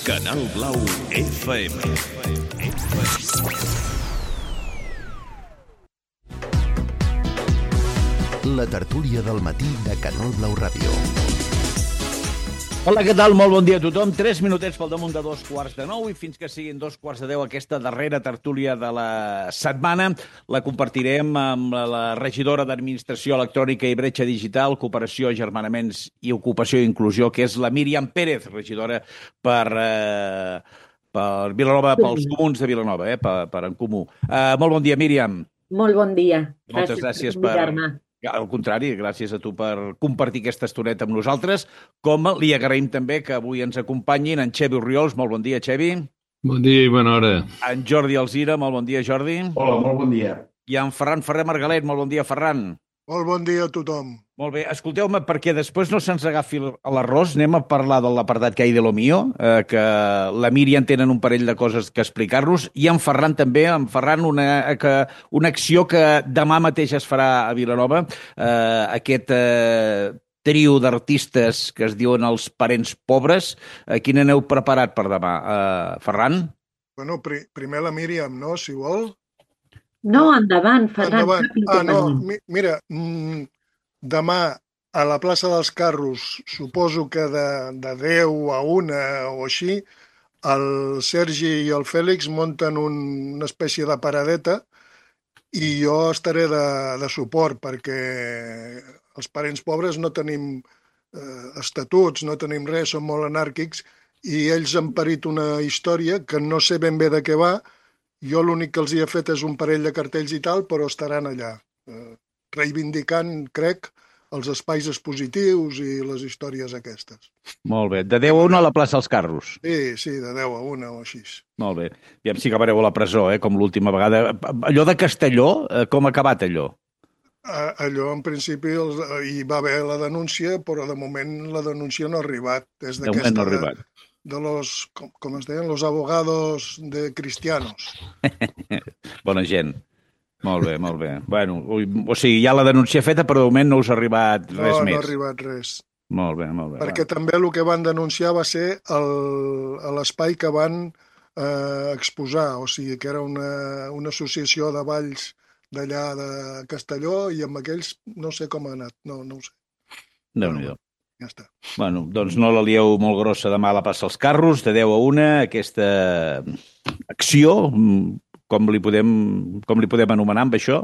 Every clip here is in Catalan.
Canal Blau FM. La tertúlia del matí de Canal Blau Ràdio. Hola, què tal? Molt bon dia a tothom. 3 minutets pel damunt de 8:45 i fins que siguin 8:45 aquesta darrera tertúlia de la setmana la compartirem amb la regidora d'Administració Electrònica i Bretxa Digital, Cooperació, Agermanaments i Ocupació i Inclusió, que és la Míriam Pérez, regidora per Vilanova, pels comuns de Vilanova, per En Comú. Molt bon dia, Míriam. Molt bon dia. Moltes gràcies per convidar-me. Al contrari, gràcies a tu per compartir aquesta estoneta amb nosaltres, com li agraïm també que avui ens acompanyin en Xevi Orriols. Molt bon dia, Xevi. Bon dia i bona hora. En Jordi Alzira. Molt bon dia, Jordi. Hola, molt bon dia. I en Ferran Ferrer Margalet. Molt bon dia, Ferran. Molt bon dia a tothom. Molt bé, escolteu-me, perquè després no se'ns agafi l'arròs, anem a parlar de l'apartat que hi de lo mío, que la Míriam tenen un parell de coses que explicar-nos, i en Ferran també, una acció que demà mateix es farà a Vilanova, aquest trio d'artistes que es diuen els parents pobres. Quin aneu preparat per demà? Ferran? Bueno, primer la Míriam, no?, si vol. No, endavant, Ferran. Endavant. Mira, demà a la plaça dels Carros, suposo que de 10 a 1 o així, el Sergi i el Fèlix munten una espècie de paradeta i jo estaré de suport perquè els parents pobres no tenim estatuts, no tenim res, som molt anàrquics i ells han parit una història que no sé ben bé de què va. Jo l'únic que els hi he fet és un parell de cartells i tal, però estaran allà, reivindicant, crec, els espais expositius i les històries aquestes. Molt bé. De 10 a 1 a la plaça dels Carros. Sí, de 10 a 1 o així. Molt bé. I si acabareu a la presó, com l'última vegada. Allò de Castelló, com ha acabat allò? Allò, en principi, hi va haver la denúncia, però de moment la denúncia no ha arribat. De moment no ha arribat. De los, com es deien, los abogados de cristianos. Bona gent. Molt bé, molt bé. Bueno, o sigui, hi ha la denúncia feta, però de moment no us ha arribat res més. No ha arribat res. Molt bé, molt bé. Perquè també el que van denunciar va ser l'espai que van exposar, o sigui, que era una associació de balls d'allà de Castelló i amb aquells no sé com ha anat, no ho sé. Déu-n'hi-do. Ja està. Bueno, doncs no la lieu molt grossa demà a la plaça dels Carros, de 10 a 1, aquesta acció, com li podem anomenar amb això?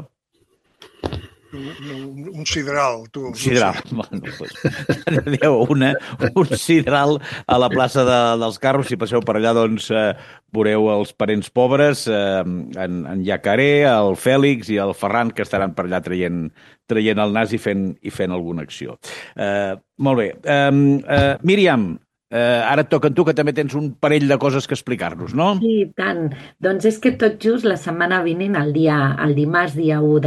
Un sidral, tu. Un sidral, bueno, doncs, de 10 a 1, un sidral a la plaça dels Carros. Si passeu per allà, doncs, veureu els parents pobres, en Jacaré, el Fèlix i el Ferran, que estaran per allà traient el nas i fent alguna acció. Molt bé. Míriam, ara et toca a tu, que també tens un parell de coses que explicar-nos, no? Sí, tant. Doncs és que tot just la setmana vinent, el dimarts, dia 1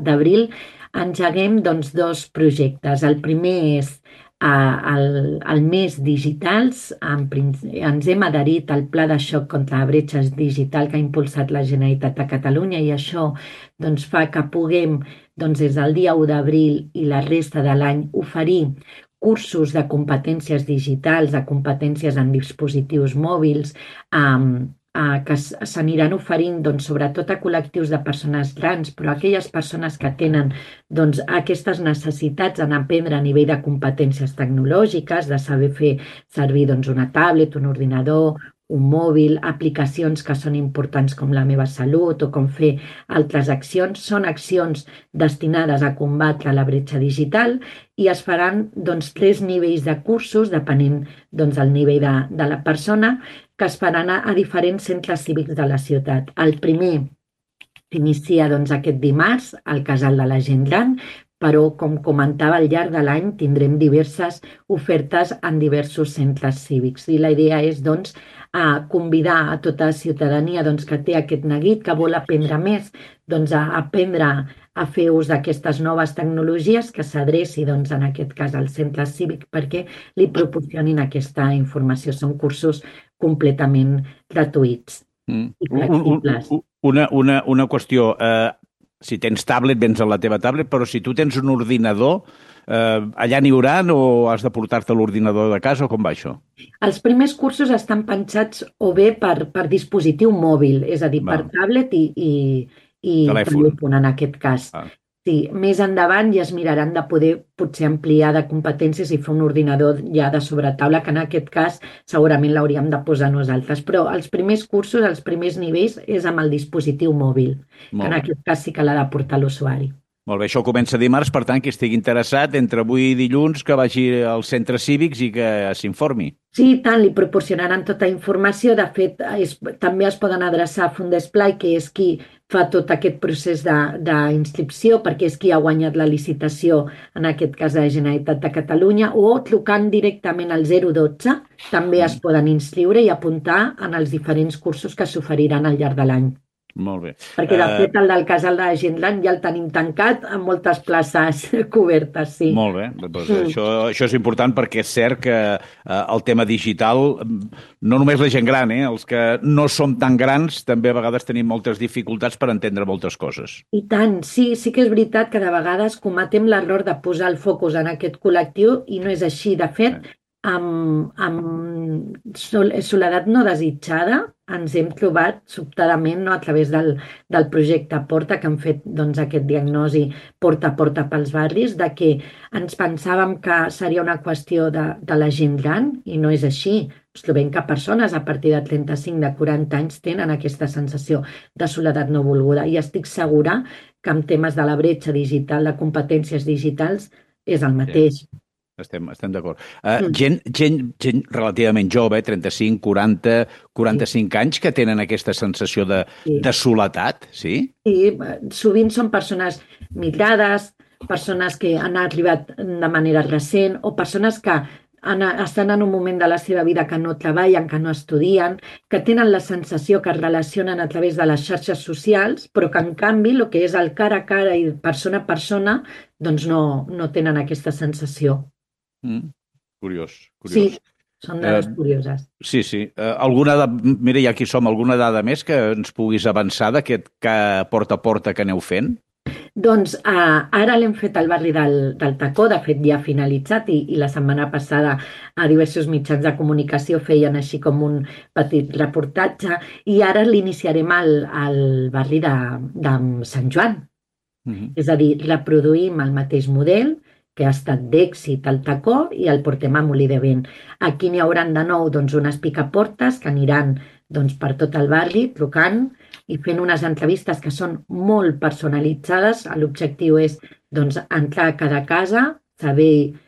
d'abril, engeguem doncs 2 projectes. El primer és el mes digitals. Ens hem adherit al Pla de xoc contra la bretxa digital que ha impulsat la Generalitat de Catalunya i això doncs, fa que puguem, doncs, des del dia 1 d'abril i la resta de l'any, oferir cursos de competències digitals, de competències en dispositius mòbils, que s'aniran oferint doncs, sobretot a col·lectius de persones grans, però aquelles persones que tenen doncs, aquestes necessitats en aprendre a nivell de competències tecnològiques, de saber fer servir doncs, una tablet, un ordinador, un mòbil, aplicacions que són importants com La meva salut o com fer altres accions. Són accions destinades a combatre la bretxa digital i es faran doncs, 3 nivells de cursos, depenent doncs, del nivell de la persona, que es faran a diferents centres cívics de la ciutat. El primer s'inicia doncs, aquest dimarts al Casal de la Gent Gran, però, com comentava, al llarg de l'any tindrem diverses ofertes en diversos centres cívics. I la idea és doncs, convidar a tota la ciutadania doncs, que té aquest neguit, que vol aprendre més, doncs, a aprendre a fer ús d'aquestes noves tecnologies, que s'adreci, doncs, en aquest cas, al centre cívic perquè li proporcionin aquesta informació. Són cursos completament gratuïts i flexibles. Una qüestió. Si tens tablet, vens a la teva tablet, però si tu tens un ordinador, allà n'hi haurà o has de portar-te l'ordinador de casa o com va això? Els primers cursos estan pensats o bé per dispositiu mòbil, és a dir, per Val. tablet i Telèfon. telèfon en aquest cas. Ah. Sí, més endavant ja es miraran de poder potser ampliar de competències i fer un ordinador ja de sobretaula, que en aquest cas segurament l'hauríem de posar nosaltres. Però els primers cursos, els primers nivells, és amb el dispositiu mòbil, que Molt en bé. aquest cas sí que l'ha de portar l'usuari. Molt bé, això comença dimarts, per tant, qui estigui interessat, entre avui i dilluns, que vagi als centres cívics i que s'informi. Sí, i tant, li proporcionaran tota informació. De fet, també es poden adreçar a Fundesplai, que és qui fa tot aquest procés d'inscripció, perquè és qui ha guanyat la licitació, en aquest cas de la Generalitat de Catalunya, o trucant directament al 012, també es poden inscriure i apuntar en els diferents cursos que s'oferiran al llarg de l'any. Molt bé. Perquè, de fet, el del casal de la Gentland ja el tenim tancat amb moltes places cobertes, sí. Molt bé, doncs això és important perquè és cert que el tema digital, no només la gent gran, els que no som tan grans també a vegades tenim moltes dificultats per entendre moltes coses. I tant, sí que és veritat que de vegades cometem l'error de posar el focus en aquest col·lectiu i no és així. De fet, amb soledat no desitjada ens hem trobat sobtadament a través del projecte Porta, que han fet aquest diagnosi porta a porta pels barris, de que ens pensàvem que seria una qüestió de la gent gran i no és així. Ens trobem que persones a partir de 35, de 40 anys tenen aquesta sensació de soledat no volguda i estic segura que en temes de la bretxa digital, de competències digitals, és el mateix. Estem d'acord. Gent relativament jove, 35, 40, 45 anys, que tenen aquesta sensació de soledat, sí? Sí, sovint són persones migrades, persones que han arribat de manera recent o persones que estan en un moment de la seva vida que no treballen, que no estudien, que tenen la sensació que es relacionen a través de les xarxes socials, però que en canvi el que és el cara a cara i persona a persona doncs no tenen aquesta sensació. Curiós. Sí, són dades curioses. Sí. Mira, ja aquí som, alguna dada més que ens puguis avançar d'aquest porta a porta que aneu fent? Doncs ara l'hem fet al barri del Tacó, de fet ja ha finalitzat i la setmana passada a diversos mitjans de comunicació feien així com un petit reportatge i ara l'iniciarem al barri de Sant Joan. És a dir, reproduïm el mateix model que ha estat d'èxit al Tacó i el portem a Molí de Vent. Aquí n'hi hauran de nou unes picaportes que aniran per tot el barri trucant i fent unes entrevistes que són molt personalitzades. L'objectiu és entrar a cada casa, saber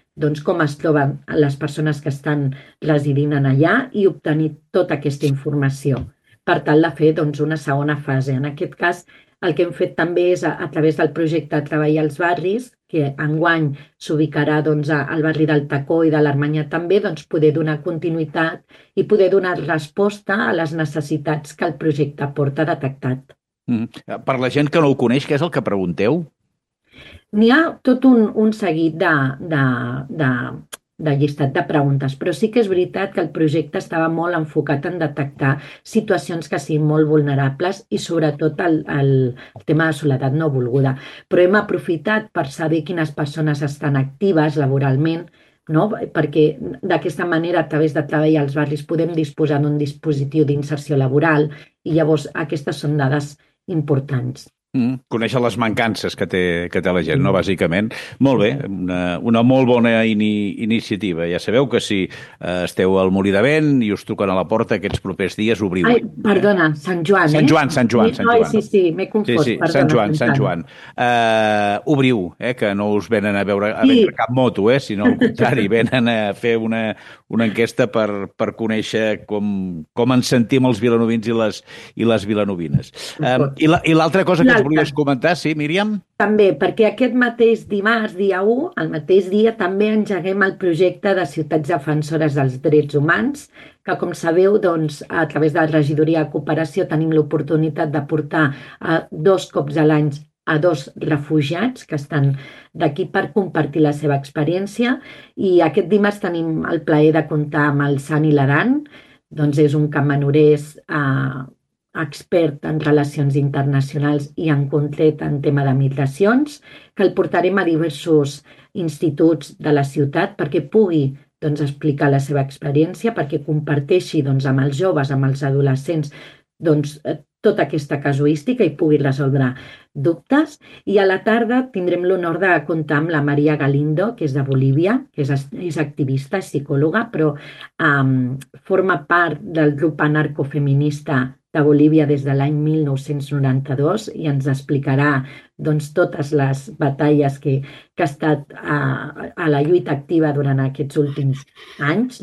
com es troben les persones que estan residint allà i obtenir tota aquesta informació per tal de fer una segona fase. En aquest cas, el que hem fet també és, a través del projecte Treball als barris, que enguany s'ubicarà al barri del Tacó i de l'Armanyà també, poder donar continuïtat i poder donar resposta a les necessitats que el projecte Porta ha detectat. Per la gent que no ho coneix, què és el que pregunteu? N'hi ha tot un seguit de llistat de preguntes, però sí que és veritat que el projecte estava molt enfocat en detectar situacions que siguin molt vulnerables i sobretot el tema de soledat no volguda. Però hem aprofitat per saber quines persones estan actives laboralment, perquè d'aquesta manera, a través de Treball als barris, podem disposar d'un dispositiu d'inserció laboral i llavors aquestes són dades importants. Conèixer les mancances que té la gent, no? Bàsicament. Molt bé, una molt bona iniciativa. Ja sabeu que si esteu al Molí de Vent i us truquen a la porta aquests propers dies, obriu. Ai, perdona, Sant Joan, Sant Joan. Sí, m'he confós. Sí, perdona, Sant Joan. Obriu, que no us venen a vendre cap moto, sinó al contrari, venen a fer una enquesta per conèixer com ens sentim els vilanovins i les vilanovines. I l'altra cosa que ens volies comentar, sí, Míriam? També, perquè aquest mateix dimarts, dia 1, el mateix dia, també engeguem el projecte de Ciutats Defensores dels Drets Humans, que, com sabeu, a través de la Regidoria de Cooperació tenim l'oportunitat de portar 2 cops a l'any a 2 refugiats que estan d'aquí per compartir la seva experiència. I aquest dimarts tenim el plaer de comptar amb el Sant Hilaran, és un campanorès expert en relacions internacionals i en concret en tema de migracions, que el portarem a diversos instituts de la ciutat perquè pugui explicar la seva experiència, perquè comparteixi amb els joves, amb els adolescents, tota aquesta casuística i pugui resoldre dubtes. I a la tarda tindrem l'honor de comptar amb la Maria Galindo, que és de Bolívia, que és activista, és psicòloga, però forma part del grup anarcofeminista de Bolívia des de l'any 1992 i ens explicarà totes les batalles que ha estat a la lluita activa durant aquests últims anys.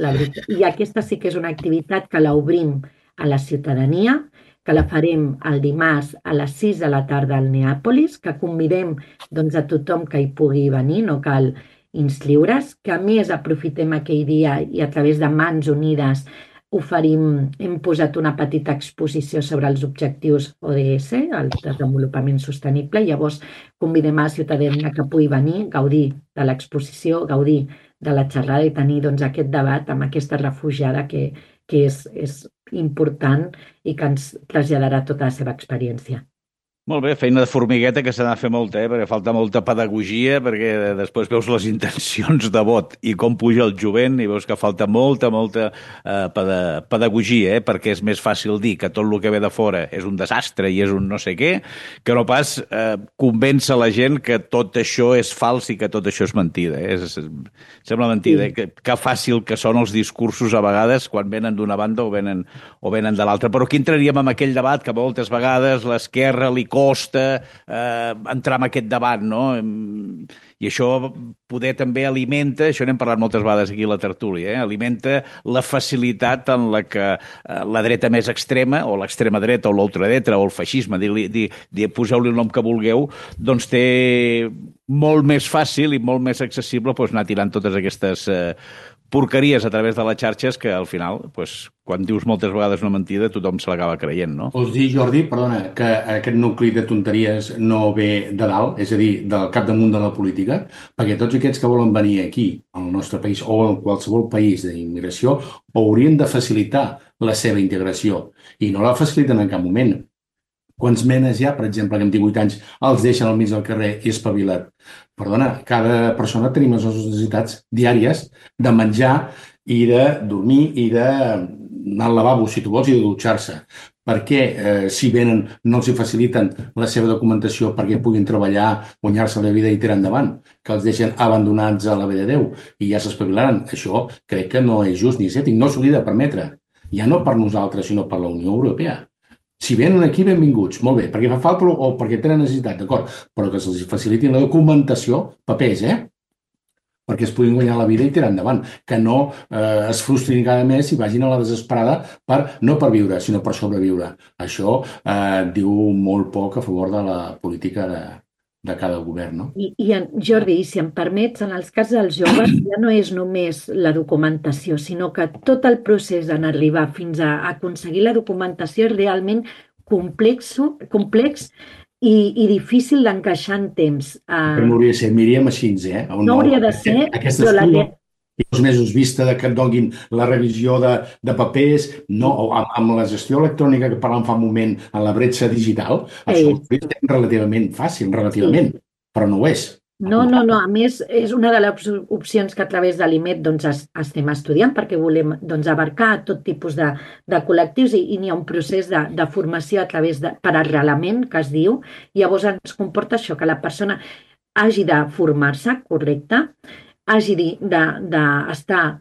I aquesta sí que és una activitat que l'obrim a la ciutadania, que la farem el dimarts a les 6 de la tarda al Neàpolis, que convidem a tothom que hi pugui venir, no cal inscriure's, que a més aprofitem aquell dia i a través de Mans Unides hem posat una petita exposició sobre els objectius ODS, el desenvolupament sostenible, i llavors convidem a la ciutadania que pugui venir, gaudir de l'exposició, gaudir de la xerrada i tenir aquest debat amb aquesta refugiada que és important i que ens traslladarà tota la seva experiència. Molt bé, feina de formigueta que s'ha de fer molta, perquè falta molta pedagogia, perquè després veus les intencions de vot i com puja el jovent i veus que falta molta pedagogia, perquè és més fàcil dir que tot el que ve de fora és un desastre i és un no sé què, que no pas convèncer la gent que tot això és fals i que tot això és mentida. Sembla mentida, que fàcil que són els discursos a vegades quan venen d'una banda o venen de l'altra. Però aquí entraríem en aquell debat que moltes vegades l'esquerra li costa entrar en aquest debat, no? I això poder també alimenta, això n'hem parlat moltes vegades aquí a la tertúlia, alimenta la facilitat en la que la dreta més extrema, o l'extrema dreta, o l'ultradreta, o el feixisme, poseu-li el nom que vulgueu, doncs té molt més fàcil i molt més accessible anar tirant totes aquestes porqueries a través de les xarxes que al final, quan dius moltes vegades una mentida, tothom se l'acaba creient, no? Vols dir, Jordi, perdona, que aquest nucli de tonteries no ve de dalt, és a dir, del capdamunt de la política, perquè tots aquests que volen venir aquí, al nostre país o en qualsevol país d'immigració, haurien de facilitar la seva integració i no la faciliten en cap moment. Quants menes hi ha, per exemple, que amb 18 anys els deixen al mig del carrer i espavilat? Perdona, cada persona tenim les necessitats diàries de menjar i de dormir i d'anar al lavabo, si tu vols, i de dutxar-se. Per què, si venen, no els faciliten la seva documentació perquè puguin treballar, guanyar-se la vida i tirar endavant? Que els deixen abandonats a la ve de Déu i ja s'espavilaran. Això crec que no és just ni és ètic, no s'hauria de permetre. Ja no per nosaltres, sinó per la Unió Europea. Si venen aquí, benvinguts, molt bé, perquè fa falta o perquè tenen necessitat, d'acord, però que se'ls facilitin la documentació, papers, perquè es puguin guanyar la vida i tirar endavant, que no es frustrin cada mes i vagin a la desesperada no per viure, sinó per sobreviure. Això diu molt poc a favor de la política de cada govern, no? I Jordi, si em permets, en els casos dels joves ja no és només la documentació, sinó que tot el procés en arribar fins a aconseguir la documentació és realment complex i difícil d'encaixar en temps. Però no hauria de ser, miríem així, No hauria de ser, però la... I 2 mesos vista que et donin la revisió de papers, no, amb la gestió electrònica que parlàvem fa un moment en la bretxa digital, això és relativament fàcil, però no ho és. No, a més és una de les opcions que a través de l'IMET estem estudiant perquè volem abarcar tot tipus de col·lectius i n'hi ha un procés de formació a través per arrelament, que es diu, i llavors ens comporta això, que la persona hagi de formar-se, correcte, hagi d'estar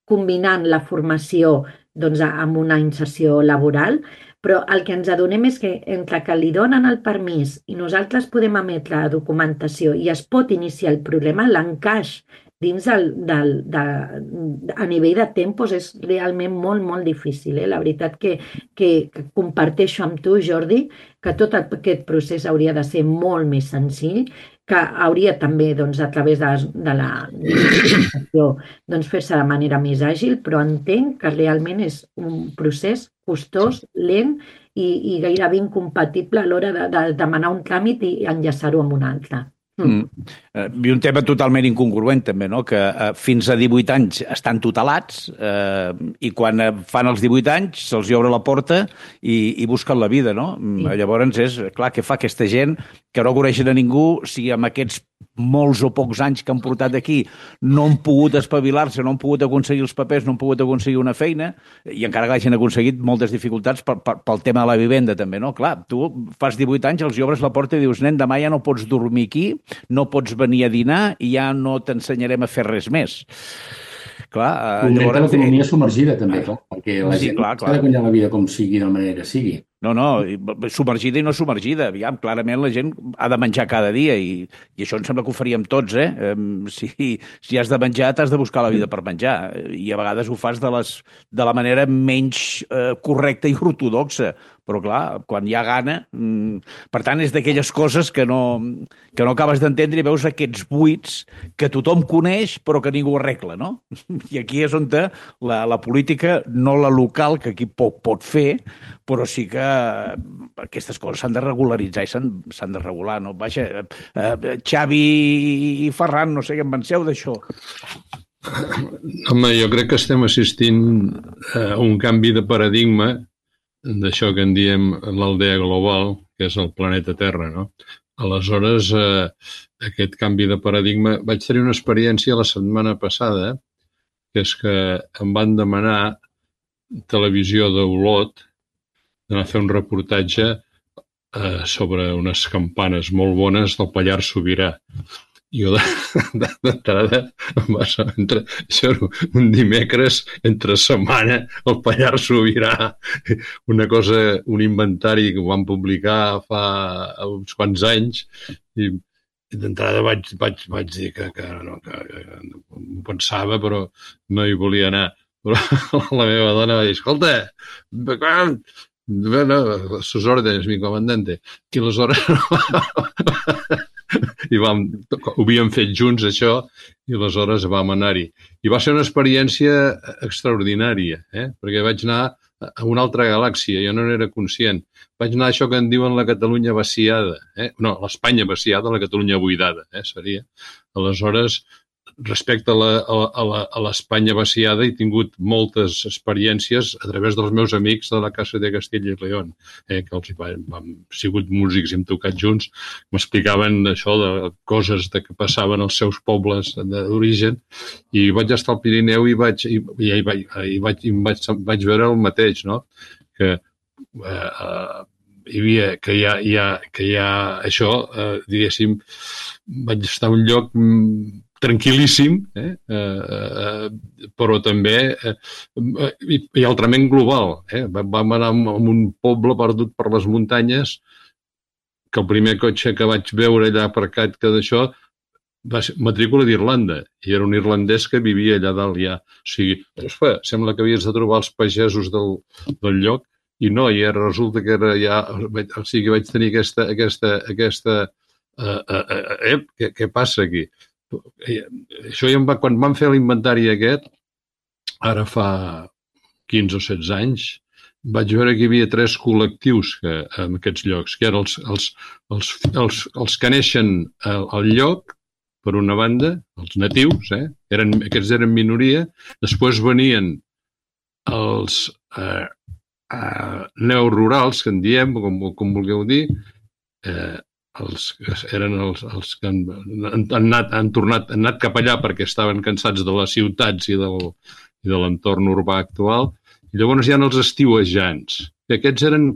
combinant la formació amb una inserció laboral, però el que ens adonem és que entre que li donen el permís i nosaltres podem emetre la documentació i es pot iniciar el problema, l'encaix dins a nivell de tempos és realment molt, molt difícil. La veritat que comparteixo amb tu, Jordi, que tot aquest procés hauria de ser molt més senzill, que hauria també, a través de la digitalització, fer-se de manera més àgil, però entenc que realment és un procés costós, lent i gairebé incompatible a l'hora de demanar un tràmit i enllaçar-ho amb un altre. I un tema totalment incongruent, també, no? Que fins a 18 anys estan tutelats i quan fan els 18 anys se'ls obre la porta i busquen la vida, no? Llavors és, clar, què fa aquesta gent que no coneixen a ningú si amb aquests molts o pocs anys que han portat aquí no han pogut espavilar-se, no han pogut aconseguir els papers, no han pogut aconseguir una feina i encara que hagin aconseguit moltes dificultats pel tema de la vivenda, també, no? Clar, tu fas 18 anys, els obres la porta i dius, nen, demà ja no pots dormir aquí, no pots venir a dinar i ja no t'ensenyarem a fer res més. Clar, llavors... L'economia submergida, també, clar, perquè la gent clar. s'ha de guanyar la vida com sigui, de la manera que sigui. No, submergida i no submergida. Aviam, clarament la gent ha de menjar cada dia i això em sembla que ho faríem tots, eh? Si has de menjar, t'has de buscar la vida per menjar i a vegades ho fas de la manera menys correcta i ortodoxa. Però, clar, quan hi ha gana... Per tant, és d'aquelles coses que no acabes d'entendre i veus aquests buits que tothom coneix però que ningú arregla, no? I aquí és on la política, no la local, que aquí pot fer, però sí que aquestes coses s'han de regularitzar i s'han de regular, no? Vaja, Xavi i Ferran, no sé què en penseu d'això. Home, jo crec que estem assistint a un canvi de paradigma d'això que en diem l'aldea global, que és el planeta Terra, no? Aleshores, aquest canvi de paradigma... Vaig tenir una experiència la setmana passada, que és que em van demanar Televisió d'Olot d'anar a fer un reportatge sobre unes campanes molt bones del Pallars Sobirà. Jo d'entrada em va ser un dimecres entre setmana al Pallars Sobirà, un inventari que ho van publicar fa uns quants anys i d'entrada vaig dir que ho pensava però no hi volia anar. Però la meva dona va dir, escolta, sus órdenes, mi comandante. I aleshores ho havíem fet junts, això, i aleshores vam anar-hi. I va ser una experiència extraordinària, perquè vaig anar a una altra galàxia, jo no n'era conscient. Vaig anar a això que en diuen la Catalunya vaciada, no, l'Espanya vaciada, la Catalunya buidada, seria. Aleshores, respecte a l'Espanya vaciada, he tingut moltes experiències a través dels meus amics de la Casa de Castilla i León, que els hem sigut músics i hem tocat junts, m'explicaven això de coses que passaven als seus pobles d'origen, i vaig estar al Pirineu i vaig veure el mateix, no? Que hi ha això, diguéssim, vaig estar a un lloc tranquil·líssim, però també i altrament global. Vam anar a un poble perdut per les muntanyes que el primer cotxe que vaig veure allà aparcat que d'això va ser matrícula d'Irlanda, i era un irlandès que vivia allà dalt ja. O sigui, sembla que havies de trobar els pagesos del lloc, i no, i resulta que era ja... O sigui, vaig tenir aquesta què passa aquí? Això quan vam fer l'inventari aquest, ara fa 15 o 16 anys, vaig veure que hi havia 3 col·lectius en aquests llocs, que eren els que neixen al lloc, per una banda, els natius, aquests eren minoria, després venien els neorurals, que en diem, com vulgueu dir, eren els que han anat cap allà perquè estaven cansats de les ciutats i de l'entorn urbà actual, i llavors hi ha els estiuejants. Aquests eren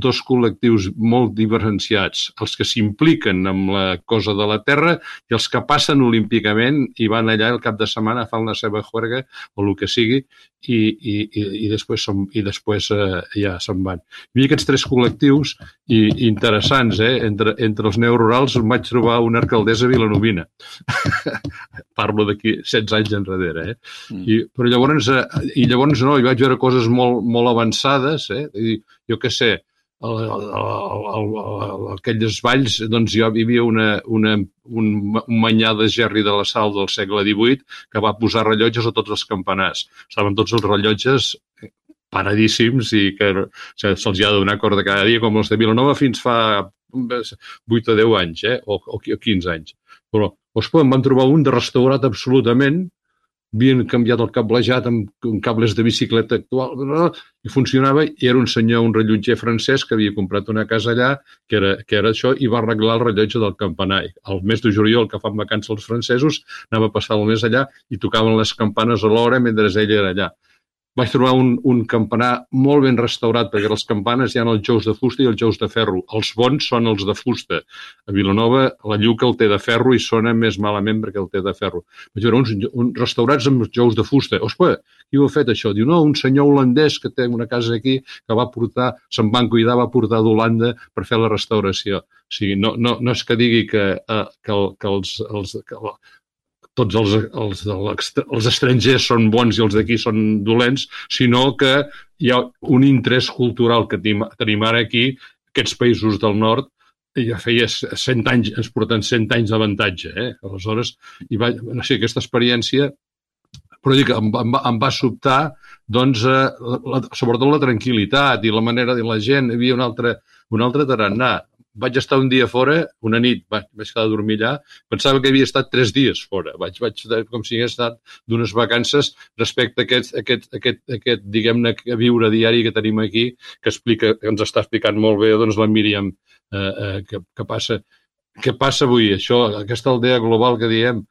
2 col·lectius molt diferenciats, els que s'impliquen amb la cosa de la terra i els que passen olímpicament i van allà el cap de setmana, fan la seva juerga o el que sigui i després ja se'n van. Hi havia aquests 3 col·lectius interessants, entre els neorurals em vaig trobar una alcaldessa vilanovina. Parlo d'aquí 16 anys enrere. Però llavors no, hi vaig veure coses molt avançades, jo què sé, aquelles valls, doncs hi havia un manyà de Gerri de la Sal del segle XVIII que va posar rellotges a tots els campanars. Estaven tots els rellotges paradíssims i que se'ls ha de donar corda cada dia, com els de Vilanova fins fa 8 o 10 anys, o 15 anys. Però, ospa, em van trobar un de restaurat absolutament, havien canviat el cablejat amb cables de bicicleta actual, i funcionava, i era un senyor, un rellotger francès que havia comprat una casa allà, que era això, i va arreglar el rellotge del campanar. Al mes de juliol, que fan vacances els francesos, anava a passar el mes allà i tocaven les campanes a l'hora mentre ell era allà. Vaig trobar un campanar molt ben restaurat, perquè les campanes hi ha els jous de fusta i els jous de ferro. Els bons són els de fusta. A Vilanova la Lluca el té de ferro i sona més malament perquè el té de ferro. Vaig veure uns restaurats amb jous de fusta. Ospa, qui ho ha fet això? Diu, no, un senyor holandès que té una casa aquí que va portar, se'n van cuidar, va portar d'Holanda per fer la restauració. O sigui, no és que digui que tots els estrangers són bons i els d'aquí són dolents, sinó que hi ha un interès cultural que tenim ara aquí, aquests països del nord, ja feia 100 anys, ens porten 100 anys d'avantatge. Aleshores, no sé, aquesta experiència, però dic, em va sobtar, doncs, sobretot la tranquil·litat i la manera de la gent. Hi havia un altre tarannà. Vaig estar un dia fora, una nit, vaig quedar a dormir allà, pensava que havia estat 3 dies fora, vaig com si hagués estat d'unes vacances respecte a aquest diguem-ne, viure diari que tenim aquí, que ens està explicant molt bé doncs, la Míriam, què passa avui, això, aquesta aldea global que diem,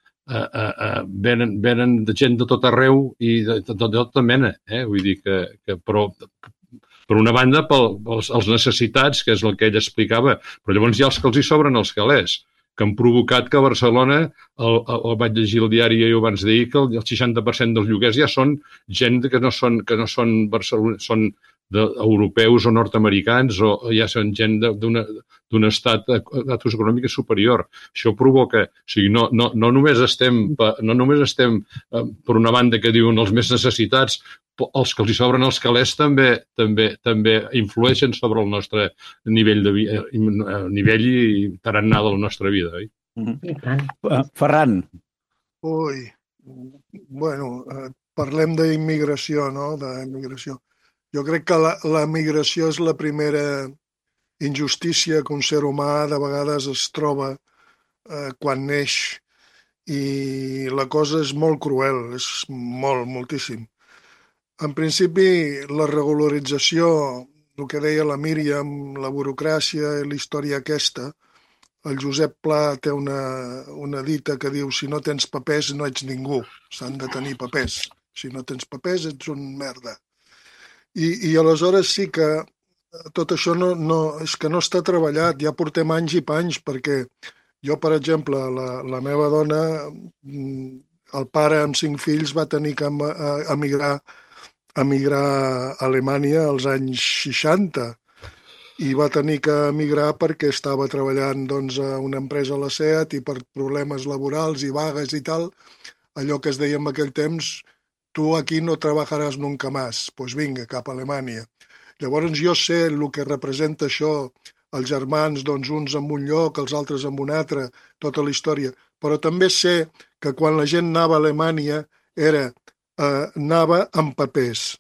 venen de gent de tot arreu i de tota mena, vull dir que però per una banda, pels necessitats, que és el que ell explicava, però llavors hi ha els que els hi sobren els calés, que han provocat que a Barcelona, vaig llegir el diari abans d'ahir, que el 60% dels lloguers ja són gent que no són Barcelona, són europeus o nord-americans, o ja són gent d'un estat econòmic superior. Això provoca, o sigui, no només estem per una banda que diuen els més necessitats, els que els hi sobren els calés també influeixen sobre el nostre nivell i tarannà de la nostra vida, oi? Ferran. Ui, bueno, parlem d'immigració, no? D'immigració. Jo crec que la migració és la primera injustícia que un ser humà de vegades es troba quan neix, i la cosa és molt cruel, és moltíssim. En principi, la regularització, el que deia la Míriam, la burocràcia i la història aquesta, el Josep Pla té una dita que diu: si no tens papers no ets ningú, s'han de tenir papers. Si no tens papers ets un merda. I aleshores sí que tot això és que no està treballat, ja portem anys i panys, perquè jo, per exemple, la meva dona, el pare amb 5 fills va tenir que emigrar a Alemanya als anys 60 i va tenir que emigrar perquè estava treballant doncs, a una empresa a la SEAT i per problemes laborals i vagues i tal, allò que es deia en aquell temps: tu aquí no treballaràs nunca más, pues vinga, cap a Alemanya. Llavors jo sé el que representa això, els germans, doncs uns en un lloc, els altres en un altre, tota la història, però també sé que quan la gent anava a Alemanya anava amb papers,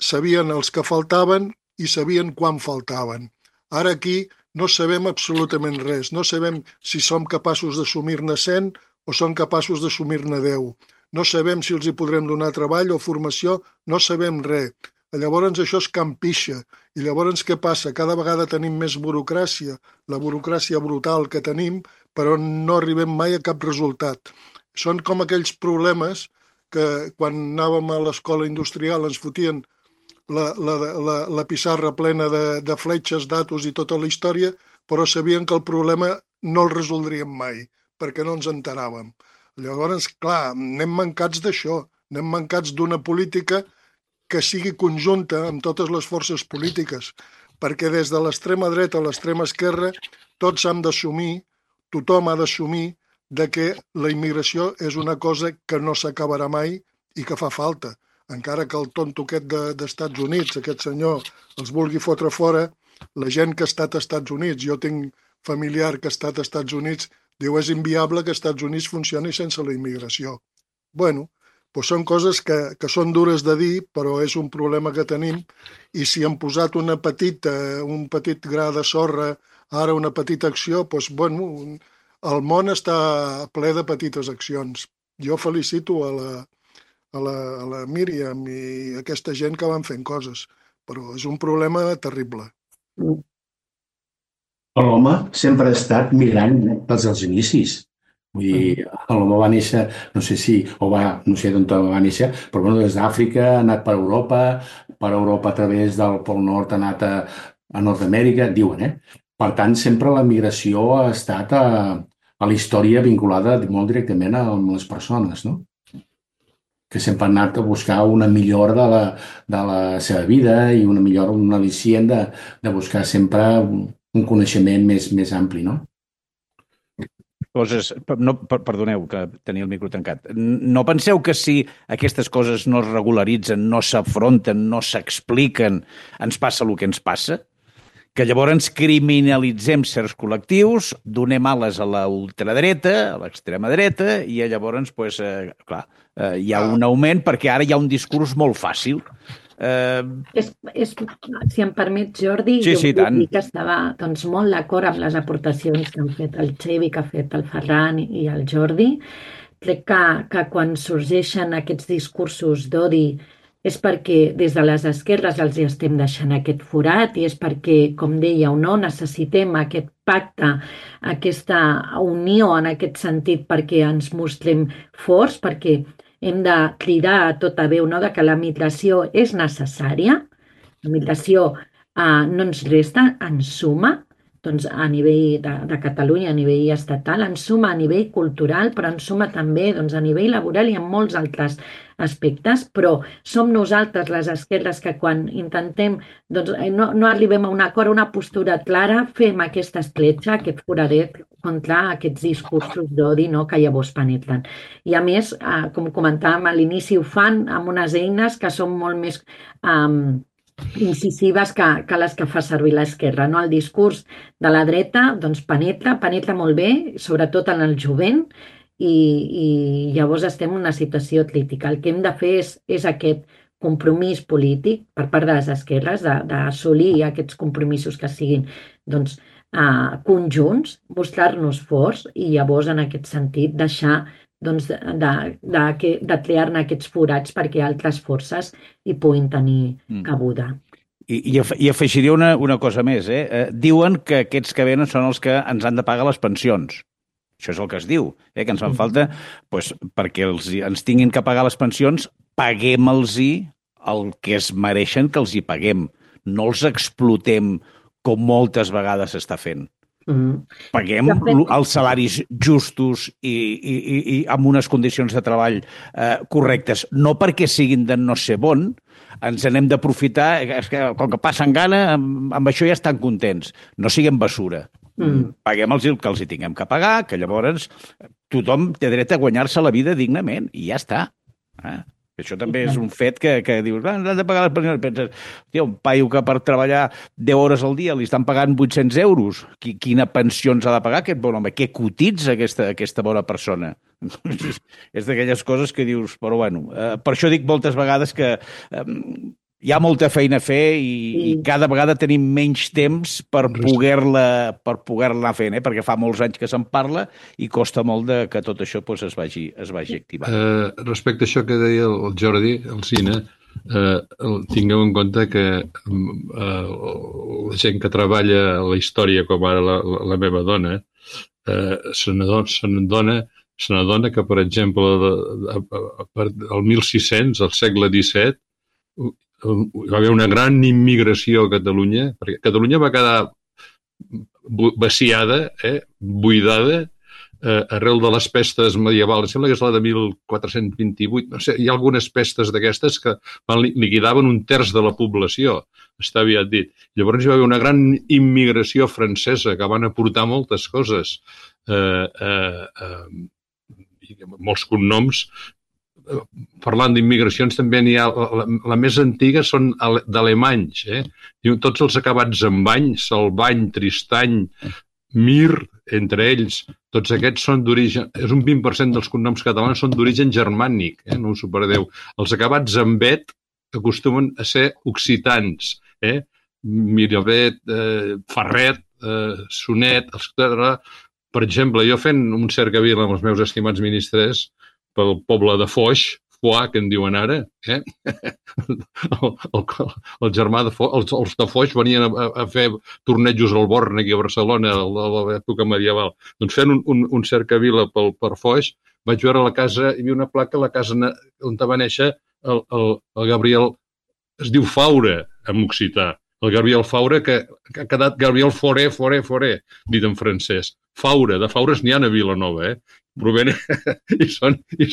sabien els que faltaven i sabien quan faltaven. Ara aquí no sabem absolutament res, no sabem si som capaços d'assumir-ne 100 o som capaços d'assumir-ne 10. No sabem si els hi podrem donar treball o formació, no sabem res. Llavors això és campixa. I llavors què passa? Cada vegada tenim més burocràcia, la burocràcia brutal que tenim, però no arribem mai a cap resultat. Són com aquells problemes que quan anàvem a l'escola industrial ens fotien la pissarra plena de fletxes, datos i tota la història, però sabien que el problema no el resoldríem mai, perquè no ens enteràvem. Llavors, clar, anem mancats d'això, anem mancats d'una política que sigui conjunta amb totes les forces polítiques, perquè des de l'extrema dreta a l'extrema esquerra tots hem d'assumir, tothom ha d'assumir que la immigració és una cosa que no s'acabarà mai i que fa falta. Encara que el tonto aquest d'Estats Units, aquest senyor, els vulgui fotre fora, la gent que ha estat als Estats Units, jo tinc familiar que ha estat als Estats Units, diu és inviable que als Estats Units funcioni sense la immigració. Bueno, doncs són coses que són dures de dir, però és un problema que tenim, i si hem posat un petit gra de sorra, ara una petita acció, doncs, bueno, el món està ple de petites accions. Jo felicito a la Míriam i aquesta gent que van fent coses, però és un problema terrible. L'home sempre ha estat migrant des dels inicis. Vull dir, l'home va néixer, no sé d'on va néixer, però bueno, des d'Àfrica ha anat per Europa a través del Pol Nord ha anat a Nord-Amèrica, diuen, Per tant, sempre la migració ha estat a la història vinculada molt directament amb les persones, no? Que sempre han anat a buscar una millora de la seva vida i una millora, un al·licient de buscar sempre un coneixement més ampli, no? Coses, perdoneu que tenia el micro tancat. No penseu que si aquestes coses no es regularitzen, no s'afronten, no s'expliquen, ens passa el que ens passa? Que llavors criminalitzem certs col·lectius, donem ales a la ultradreta, a l'extrema dreta, i llavors, hi ha un augment perquè ara hi ha un discurs molt fàcil. Si em permet, Jordi, sí, jo vull dir que estava molt d'acord amb les aportacions que han fet el Xevi, que ha fet el Ferran i el Jordi. Crec que quan sorgeixen aquests discursos d'odi és perquè des de les esquerres els hi estem deixant aquest forat i és perquè, com dèieu, necessitem aquest pacte, aquesta unió en aquest sentit perquè ens mostrem forts, perquè hem de cridar a tota veu que la migració és necessària, la migració no ens resta, ens suma, doncs a nivell de Catalunya, a nivell estatal, ens suma a nivell cultural, però ens suma també a nivell laboral i en molts altres aspectes, però som nosaltres, les esquerres, que quan intentem no arribem a un acord, a una postura clara, fem aquesta escletxa, aquest foradet contra aquests discursos d'odi que llavors penetren. I a més, com comentàvem a l'inici, ho fan amb unes eines que són molt més incisives que les que fa servir l'esquerra. El discurs de la dreta penetra molt bé, sobretot en el jovent, i llavors estem en una situació crítica. El que hem de fer és aquest compromís polític per part de les esquerres, d'assolir aquests compromisos que siguin conjunts, mostrar-nos forts i llavors en aquest sentit deixar de crear-ne aquests forats perquè altres forces hi puguin tenir cabuda. I afegiria una cosa més. Diuen que aquests que venen són els que ens han de pagar les pensions. Això és el que es diu, que ens fan falta perquè ens tinguin que pagar les pensions, paguem-los el que es mereixen que els hi paguem. No els explotem com moltes vegades s'està fent. Paguem els salaris justos i amb unes condicions de treball correctes. No perquè siguin de no ser bon, ens n'hem d'aprofitar, com que passen gana, amb això ja estan contents. No siguem basura. Paguem-los el que els hi tinguem que pagar, que llavors tothom té dret a guanyar-se la vida dignament, i ja està. Això també és un fet que dius, han de pagar les pensions. Penses, un paio que per treballar 10 hores al dia li estan pagant 800 euros. Quina pensió ens ha de pagar aquest bon home? Què cotitza aquesta bona persona? És d'aquelles coses que dius, però bueno, per això dic moltes vegades que hi ha molta feina a fer i cada vegada tenim menys temps per poder-la anar fent, perquè fa molts anys que se'n parla i costa molt que tot això es vagi activant. Respecte a això que deia el Jordi, el Cine, tingueu en compte que la gent que treballa a la història, com ara la meva dona, se n'adona que, per exemple, el 1600, al segle XVII, hi va haver una gran immigració a Catalunya, perquè Catalunya va quedar vaciada, buidada, arrel de les pestes medievals. Sembla que és la de 1428. No sé, hi ha algunes pestes d'aquestes que liquidaven 1/3 de la població, està aviat dit. Llavors hi va haver una gran immigració francesa que van aportar moltes coses, molts cognoms. Parlant d'immigracions, també n'hi ha... La més antiga són d'alemanys. Diuen tots els acabats en bany, Salvany, Tristany, Mir, entre ells. Tots aquests són d'origen... És un 20% dels cognoms catalans són d'origen germànic, no us ho perdeu. Els acabats en bet acostumen a ser occitans. Miravet, Ferret, Sonet, etc. Per exemple, jo fent un cercavila amb els meus estimats ministres pel poble de Foix, Foix, que en diuen ara, el germà de Foix, els de Foix venien a fer tornejos al Born aquí a Barcelona a l'època medieval. Doncs fent un cercavila per Foix, vaig veure la casa, hi havia una placa a la casa on va néixer el Gabriel, es diu Faura, en occità. El Gabriel Faura, que ha quedat Gabriel Fauré, dit en francès. Faura, de Faures n'hi ha a Vilanova, provenen i són de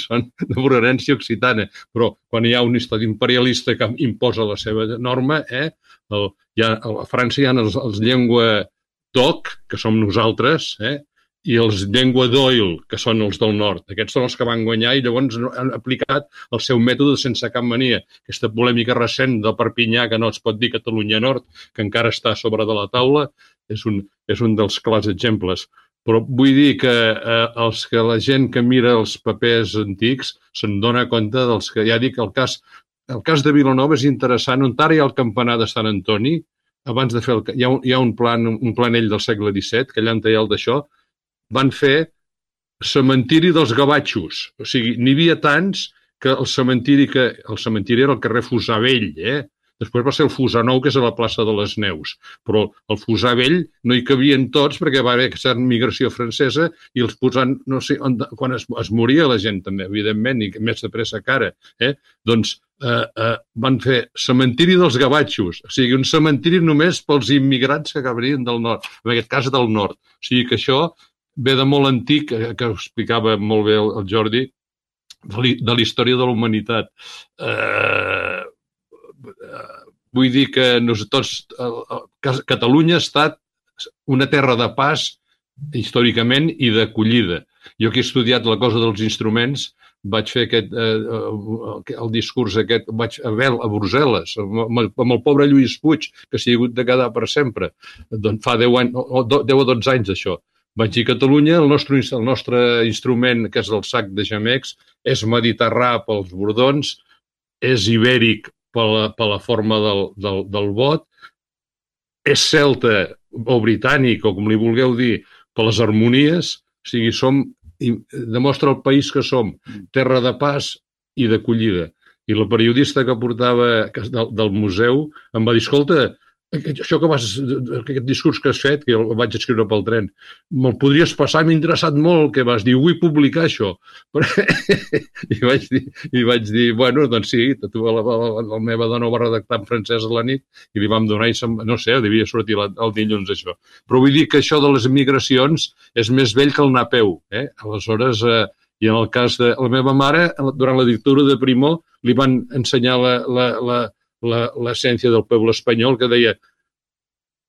procedència occitana. Però quan hi ha un estat imperialista que imposa la seva norma, a França hi ha els llengua d'oc, que som nosaltres, i els llengua d'oil, que són els del nord. Aquests són els que van guanyar i llavors han aplicat el seu mètode sense cap mania. Aquesta polèmica recent de Perpinyà, que no es pot dir Catalunya Nord, que encara està a sobre de la taula, és un dels clars exemples. Però vull dir que la gent que mira els papers antics se'n dona compte dels que, ja dic, el cas de Vilanova és interessant, on ara hi ha el campanar de Sant Antoni, abans de fer hi ha un planell del segle XVII, que allà en tallal d'això, van fer cementiri dels gavatxos. O sigui, n'hi havia tants que el cementiri era el carrer Fusar Vell, Després va ser el Fusar Nou, que és a la plaça de les Neus. Però el Fusar Vell no hi cabien tots perquè va haver aquesta migració francesa i els posant, no sé, quan es moria la gent també, evidentment, i més de pressa que ara, doncs van fer cementiri dels gavatxos, o sigui, un cementiri només pels immigrants que venien del nord, en aquest cas del nord. O sigui que això ve de molt antic, que ho explicava molt bé el Jordi, de la història de la humanitat. Vull dir que Catalunya ha estat una terra de pas històricament i d'acollida. Jo que he estudiat la cosa dels instruments vaig fer el discurs aquest, vaig a Brussel·les, amb el pobre Lluís Puig, que s'hi ha hagut de quedar per sempre. Doncs fa 10 o 12 anys d'això. Vaig dir, Catalunya, el nostre instrument, que és el sac de gemecs, és mediterrà pels bordons, és ibèric per la forma del bot, és celta o britànic, o com li vulgueu dir, per les harmonies, o sigui, demostra el país que som, terra de pas i d'acollida. I la periodista que portava del museu em va dir, escolta, aquest discurs que has fet, que el vaig escriure pel tren, me'l podries passar, m'ha interessat molt el que vas dir, vull publicar això. I vaig dir, bueno, doncs sí, la meva dona ho va redactar en francès a la nit i li vam donar, no sé, devia sortir el dilluns això. Però vull dir que això de les migracions és més vell que el napeu. Aleshores, i en el cas de la meva mare, durant la dictadura de Primo, li van ensenyar l'essència del pueblo espanyol, que deia: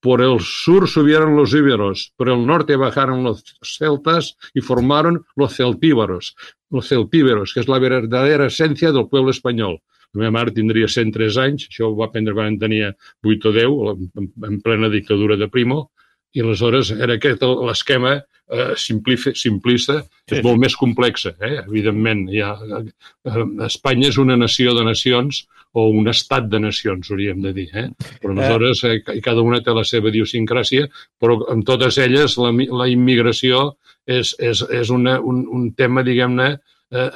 por el sur subieron los íberos, por el norte bajaron los celtas y formaron los celtíberos, que és la verdadera essència del pueblo espanyol. La meva mare tindria 103 anys, això ho va aprendre quan tenia 8 o 10, en plena dictadura de Primo, i aleshores era aquest l'esquema simplista, és molt més complexa, evidentment. Espanya és una nació de nacions, o un estat de nacions, hauríem de dir. Però aleshores cada una té la seva idiosincràsia, però en totes elles la immigració és un tema, diguem-ne,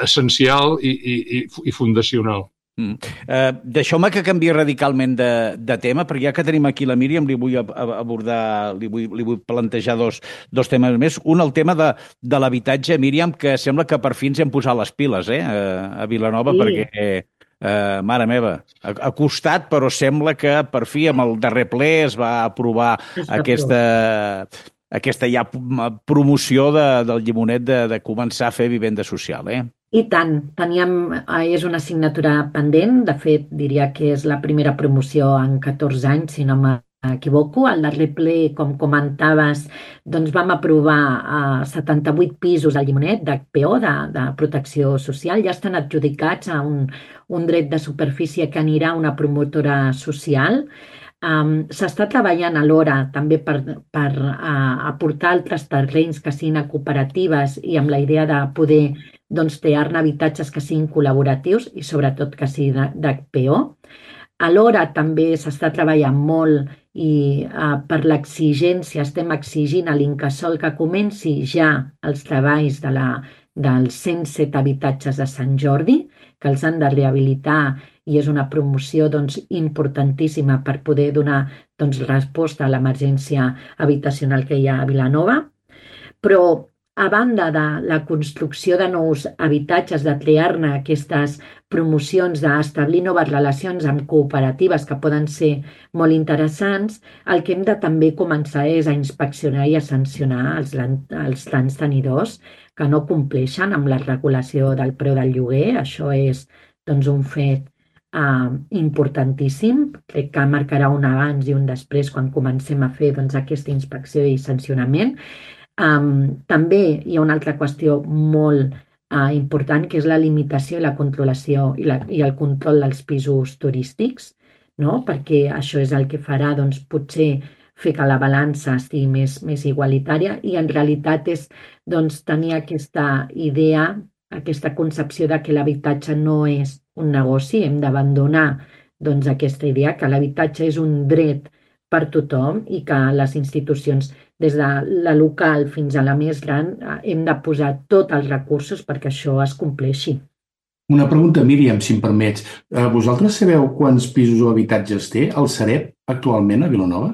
essencial i fundacional. Deixeu-me que canviï radicalment de tema, perquè ja que tenim aquí la Míriam, li vull abordar, li vull plantejar dos temes més. Un, el tema de l'habitatge, Míriam, que sembla que per fi ens hem posat les piles a Vilanova, perquè, mare meva, ha costat, però sembla que per fi amb el darrer ple es va aprovar aquesta ja promoció del llimonet de començar a fer vivenda social, I tant, és una assignatura pendent, de fet diria que és la primera promoció en 14 anys, si no m'equivoco. Al darrer ple, com comentaves, doncs vam aprovar 78 pisos al llimonet d'HPO, de protecció social, ja estan adjudicats a un dret de superfície que anirà a una promotora social. S'està treballant alhora també per aportar altres terrenys que siguin a cooperatives i amb la idea de poder crear-ne habitatges que siguin col·laboratius i sobretot que siguin d'HPO. Alhora també s'està treballant molt i per l'exigència estem exigint a l'Incasòl que comenci ja els treballs dels 107 habitatges de Sant Jordi, que els han de rehabilitar i és una promoció importantíssima per poder donar resposta a l'emergència habitacional que hi ha a Vilanova. Però a banda de la construcció de nous habitatges, de crear-ne aquestes promocions, d'establir noves relacions amb cooperatives que poden ser molt interessants, el que hem de també començar és a inspeccionar i a sancionar els grans tenidors que no compleixen amb la regulació del preu del lloguer. Això és un fet importantíssim. Crec que marcarà un abans i un després quan comencem a fer aquesta inspecció i sancionament. També hi ha una altra qüestió molt important, que és la limitació i la controlació i el control dels pisos turístics, no? Perquè això és el que farà potser fer que la balança estigui més igualitària i en realitat és tenir aquesta idea, aquesta concepció de que l'habitatge no és un negoci. Hem d'abandonar aquesta idea que l'habitatge és un dret per tothom i que les institucions, des de la local fins a la més gran, hem de posar tots els recursos perquè això es compleixi. Una pregunta, Míriam, si em permets. Vosaltres sabeu quants pisos o habitatges té el Sareb actualment a Vilanova?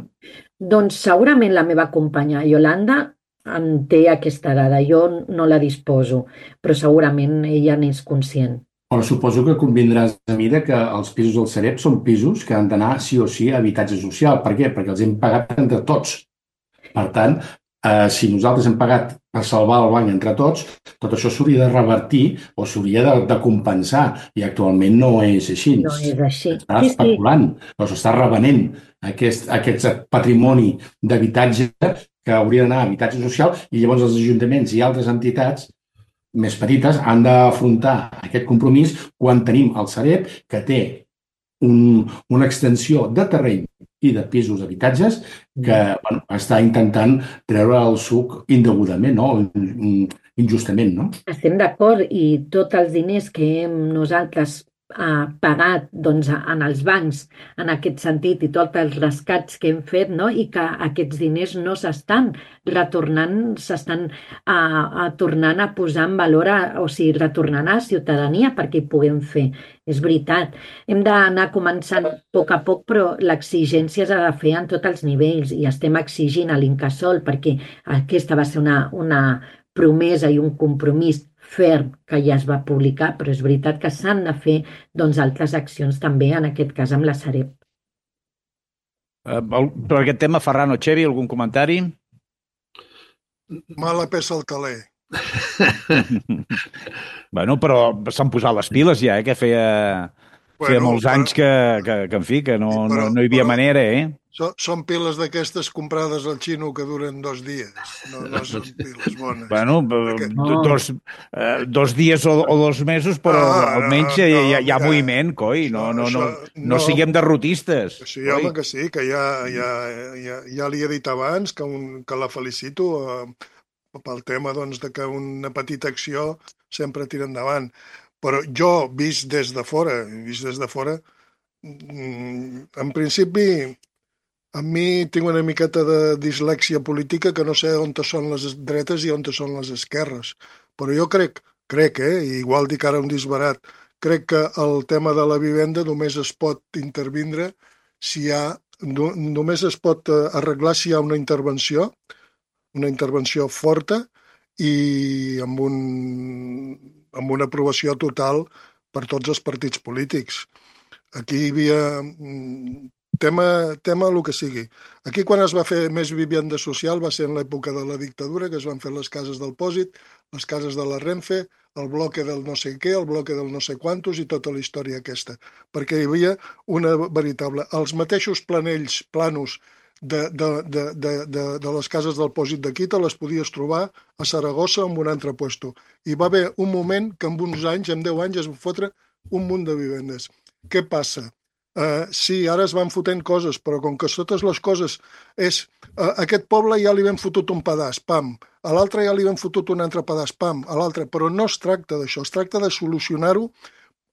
Doncs segurament la meva companya Iolanda en té aquesta dada. Jo no la disposo, però segurament ella n'és conscient. Però suposo que convindràs a mi que els pisos del Sareb són pisos que han d'anar sí o sí a habitatge social. Per què? Perquè els hem pagat entre tots. Per tant, si nosaltres hem pagat per salvar el banc entre tots, tot això s'hauria de revertir o s'hauria de compensar i actualment no és així. No és així. S'està especulant, però s'està revenent aquest patrimoni d'habitatge que hauria d'anar a habitatge social i llavors els ajuntaments i altres entitats més petites han d'afrontar aquest compromís quan tenim el Sareb que té una extensió de terreny i de pisos d'habitatges que està intentant treure el suc indegudament, injustament. No? Estem d'acord i tots els diners que hem nosaltres pagat en els bancs en aquest sentit i tots els rescats que hem fet, no? I que aquests diners no s'estan retornant, s'estan tornant a posar en valor, retornant a la ciutadania perquè hi puguem fer. És veritat, hem d'anar començant a poc, però l'exigència s'ha de fer en tots els nivells i estem exigint a l'Incasòl perquè aquesta va ser una promesa i un compromís ferm que ja es va publicar, però és veritat que s'han de fer altres accions també, en aquest cas amb la Sareb. Per aquest tema, Ferran o Xevi, algun comentari? Mala peça al caler. Bueno, però s'han posat les piles ja, que feia molts anys que en fi, que no hi havia manera, Són piles d'aquestes comprades al xino que duren 2 dies, no són piles bones. Bueno, 2 dies o 2 mesos, però almenys hi ha moviment, coi, no siguem derrotistes. Sí, home, que sí, que ja li he dit abans que la felicito pel tema de que una petita acció sempre tira endavant. Però jo, vist des de fora, en principi, a mi tinc una miqueta de dislèxia política que no sé on són les dretes i on són les esquerres. Però jo crec, igual dic ara un disbarat, crec que el tema de la vivenda només es pot intervindre només es pot arreglar si hi ha una intervenció forta i amb una aprovació total per tots els partits polítics. Aquí hi havia tema el que sigui. Aquí quan es va fer més vivenda social va ser en l'època de la dictadura, que es van fer les cases del Pòsit, les cases de la Renfe, el bloque del no sé què, el bloque del no sé quantos i tota la història aquesta. Perquè hi havia una veritable... Els mateixos planos de les cases del Pòsit d'aquí te les podies trobar a Saragossa o en un altre puesto. I va haver un moment que en uns anys, en 10 anys, es va fotre un munt de vivendes. Què passa? Sí, ara es van fotent coses, però com que totes les coses és... A aquest poble ja li vam fotut un pedaç, pam. A l'altre ja li vam fotut un altre pedaç, pam. A l'altre, però no es tracta d'això, es tracta de solucionar-ho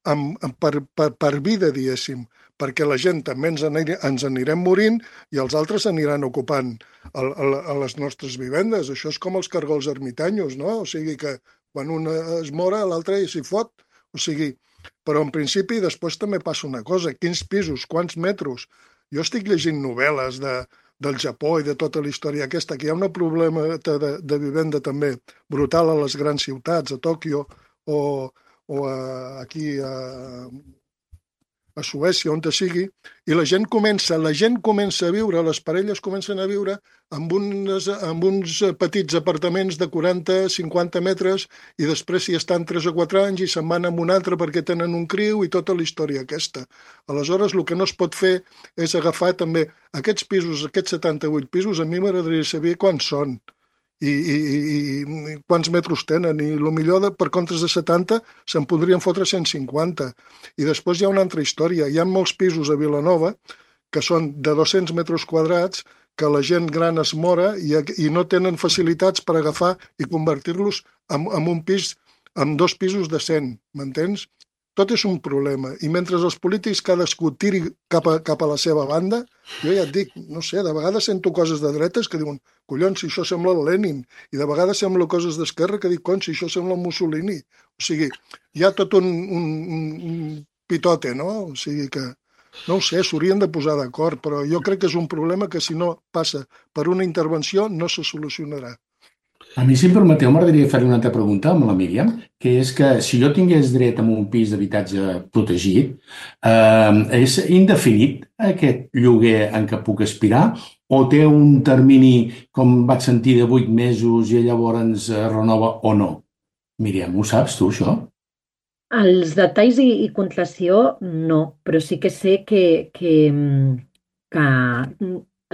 per vida, diguéssim, perquè la gent també ens anirem morint i els altres aniran ocupant a les nostres vivendes. Això és com els cargols ermitanyos, no? O sigui que quan un es mora, l'altre s'hi fot. O sigui, però en principi després també passa una cosa, quins pisos, quants metres. Jo estic llegint novel·les del Japó i de tota la història aquesta, que hi ha un problema de vivenda també brutal a les grans ciutats, a Tòquio o aquí a Suècia, on sigui, i la gent comença a viure, les parelles comencen a viure amb uns petits apartaments de 40-50 metres i després hi estan 3 o 4 anys i se'n van amb un altre perquè tenen un criu i tota la història aquesta. Aleshores, el que no es pot fer és agafar també aquests pisos, aquests 78 pisos, a mi m'agradaria saber quants són i quants metres tenen, i millor per comptes de 70 se'n podrien fotre 150. I després hi ha una altra història, hi ha molts pisos a Vilanova que són de 200 metres quadrats que la gent gran es mora i no tenen facilitats per agafar i convertir-los en un pis, en 2 pisos de 100, m'entens? Tot és un problema. I mentre els polítics cadascú tiri cap a la seva banda, jo ja et dic, no sé, de vegades sento coses de dretes que diuen, collons, si això sembla el Lenin, i de vegades sembla coses d'esquerra que dic, collons, si això sembla el Mussolini. O sigui, hi ha tot un pitote, no? O sigui que, no ho sé, s'haurien de posar d'acord, però jo crec que és un problema que si no passa per una intervenció no se solucionarà. A mi, si em permeteu, m'agradaria fer-li una altra pregunta amb la Míriam, que és que si jo tingués dret a un pis d'habitatge protegit, és indefinit aquest lloguer en què puc aspirar o té un termini, com vaig sentir, de 8 mesos i llavors es renova o no? Míriam, ho saps tu, això? Els detalls i concreció no, però sí que sé que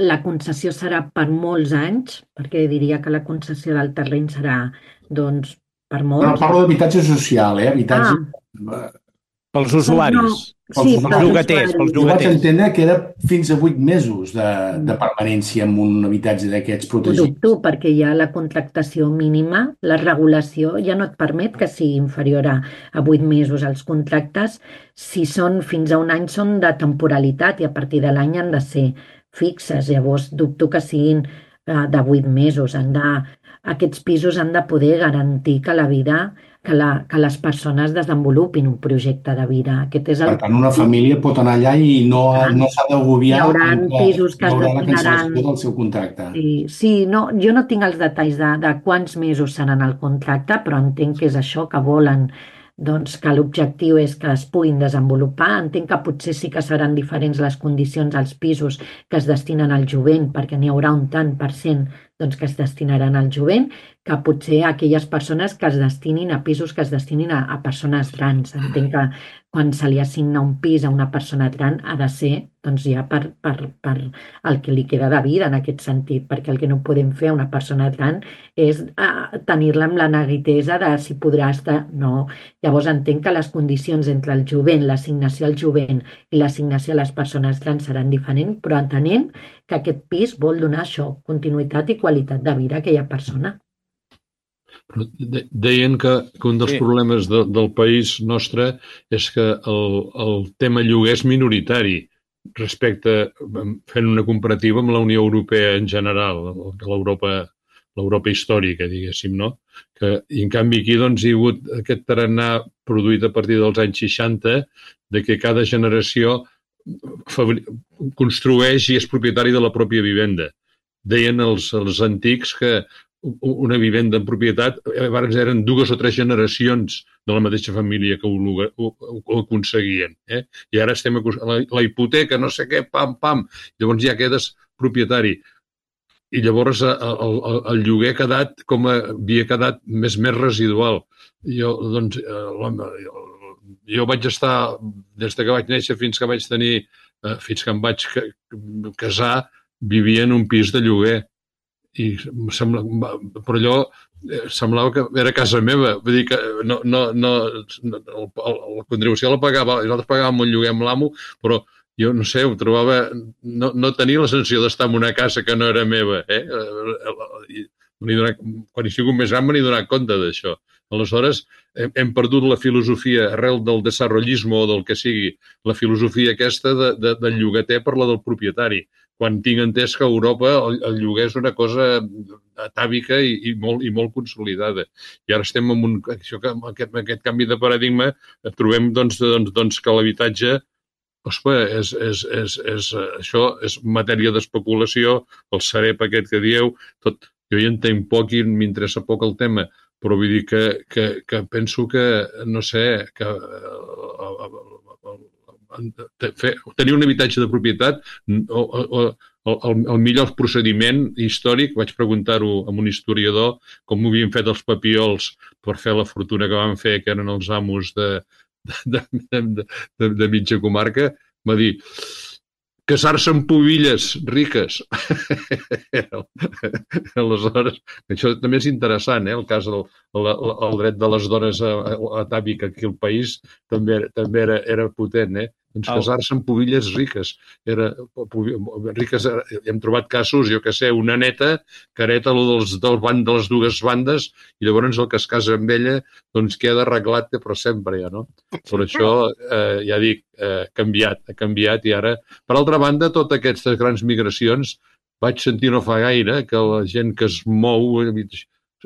la concessió serà per molts anys, perquè diria que la concessió del terreny serà, doncs, per molts. Parlo d'habitatge social, habitatge... Pels usuaris, sí, pels llogaters. Jo vaig entendre que era fins a 8 mesos de permanència en un habitatge d'aquests Ho protegits. dubto, perquè hi ha la contractació mínima, la regulació ja no et permet que sigui inferior a 8 mesos. Els contractes, si són fins a un any, són de temporalitat i a partir de l'any han de ser fixes. Llavors dubto que siguin de 8 mesos. Aquests pisos han de poder garantir que la vida, que les persones desenvolupin un projecte de vida. Aquest és Per tant, una família pot anar allà i no s'ha d'agobiar Hi haurà pisos que es la destinaran... cancel·lació del seu contracte. Sí, no, jo no tinc els detalls de quants mesos seran el contracte, però entenc que és això que volen, doncs que l'objectiu és que es puguin desenvolupar. Entenc que potser sí que seran diferents les condicions als pisos que es destinen al jovent, perquè n'hi haurà un tant per cent que es destinaran al jovent, que potser aquelles persones que es destinin a pisos que es destinin a persones grans. Entenc que quan se li assigna un pis a una persona gran ha de ser doncs, ja per el que li queda de vida en aquest sentit, perquè el que no podem fer a una persona gran és tenir-la amb la neguitesa de si podrà estar... No. Llavors entenc que les condicions entre el jovent, l'assignació al jovent i l'assignació a les persones grans seran diferents, però entenent que aquest pis vol donar això, continuïtat i qualitat de vida a aquella persona. Però deien que un dels problemes del país nostre és que el tema lloguer és minoritari respecte, fent una comparativa amb la Unió Europea en general, l'Europa històrica, diguéssim, no? I en canvi aquí doncs, hi ha hagut aquest tarannà produït a partir dels anys 60 de que cada generació construeix i és propietari de la pròpia vivenda. Deien els antics que una vivenda en propietat eren 2 o 3 generacions de la mateixa família que ho aconseguien. I ara estem a la hipoteca, no sé què, pam, pam. Llavors ja quedes propietari. I llavors el lloguer havia quedat més residual. Jo vaig estar, des que vaig néixer fins que em vaig casar, vivia en un pis de lloguer. Però allò semblava que era casa meva. Vull dir que la contribució la pagava, nosaltres pagàvem un lloguer amb l'amo, però jo no sé, ho trobava... No tenia la sensació d'estar en una casa que no era meva. Quan he sigut més gran m'he donat compte d'això. Aleshores, hem perdut la filosofia arrel del desarrollisme o del que sigui, la filosofia aquesta del llogater per la del propietari. Quan tinc entès que a Europa el lloguer és una cosa atàvica i molt consolidada. I ara estem amb aquest canvi de paradigma, trobem doncs, que l'habitatge això és matèria d'especulació, el Sareb aquest que dieu, tot. Jo hi entenc poc i m'interessa poc el tema, però vull dir que penso que, no sé, que tenir un habitatge de propietat el millor procediment històric, vaig preguntar-ho a un historiador com ho havien fet els papiols per fer la fortuna que van fer, que eren els amos de mitja comarca, va dir casar-se amb pubilles riques. Aleshores, això també és interessant, el cas del dret de les dones atàvic aquí al país també era potent, Doncs casar-se amb pubilles riques. Hem trobat casos, jo que sé, una neta que hereta de les dues bandes i llavors el que es casa amb ella doncs queda arreglat per sempre, ja, no? Per això, ja dic, ha canviat i ara... Per altra banda, totes aquestes grans migracions vaig sentir no fa gaire que la gent que es mou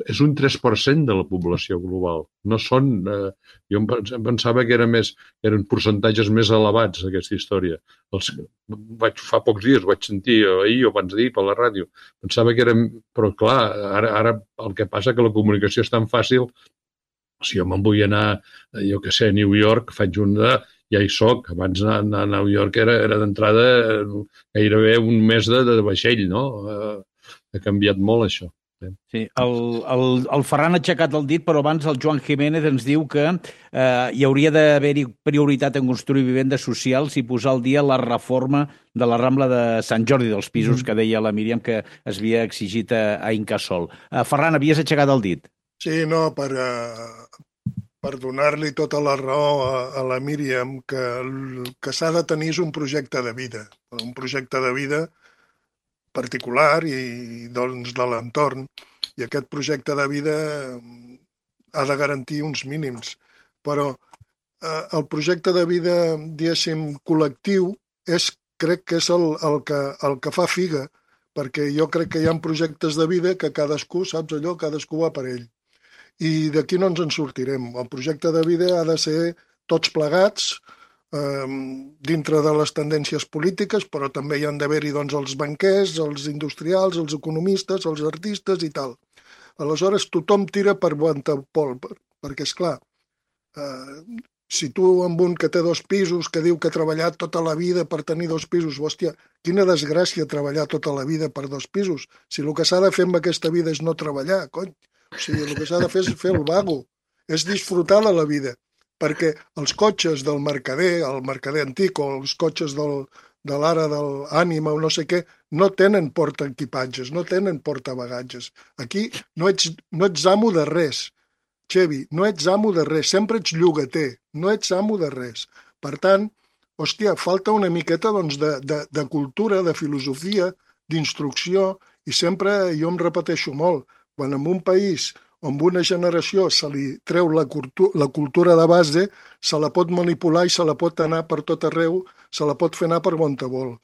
és un 3% de la població global. No són... Jo pensava que eren percentatges més elevats, aquesta història. Fa pocs dies vaig sentir, ahir o abans d'ahir, per la ràdio. Pensava que eren... Però, clar, ara el que passa que la comunicació és tan fàcil. Si jo me'n vull anar, jo que sé, a New York, faig ja hi soc. Abans anar a New York era d'entrada gairebé un mes de vaixell, no? Ha canviat molt, això. Sí, el Ferran ha aixecat el dit, però abans el Joan Jiménez ens diu que hi hauria d'haver-hi prioritat en construir vivendes socials i posar al dia la reforma de la Rambla de Sant Jordi, dels pisos que deia la Míriam que es havia exigit a Incasòl. Ferran, havies aixecat el dit. Sí, no, per donar-li tota la raó a la Míriam, que s'ha de tenir un projecte de vida particular i doncs de l'entorn. I aquest projecte de vida ha de garantir uns mínims. Però el projecte de vida, diguéssim, col·lectiu, crec que és el que fa figa, perquè jo crec que hi ha projectes de vida que cadascú, saps allò, cadascú va per ell. I d'aquí no ens en sortirem. El projecte de vida ha de ser tots plegats, dintre de les tendències polítiques, però també hi han d'haver-hi doncs, els banquers, els industrials, els economistes, els artistes i tal. Aleshores, tothom tira per Guantapol, perquè, esclar, si tu amb un que té 2 pisos, que diu que ha treballat tota la vida per tenir 2 pisos, hòstia, quina desgràcia treballar tota la vida per 2 pisos. Si el que s'ha de fer amb aquesta vida és no treballar, cony. O sigui, el que s'ha de fer és fer el vago, és disfrutar de la vida. Perquè els cotxes del mercader, el mercader antic o els cotxes de l'ara de l'ànima o no sé què, no tenen portaequipatges, no tenen portabagatges. Aquí no ets amo de res, Xevi, no ets amo de res, sempre ets llogater, no ets amo de res. Per tant, hòstia, falta una miqueta doncs, de cultura, de filosofia, d'instrucció, i sempre jo em repeteixo molt, quan en un país on una generació se li treu la cultura de base, se la pot manipular i se la pot anar per tot arreu, se la pot fer anar per Guantapol.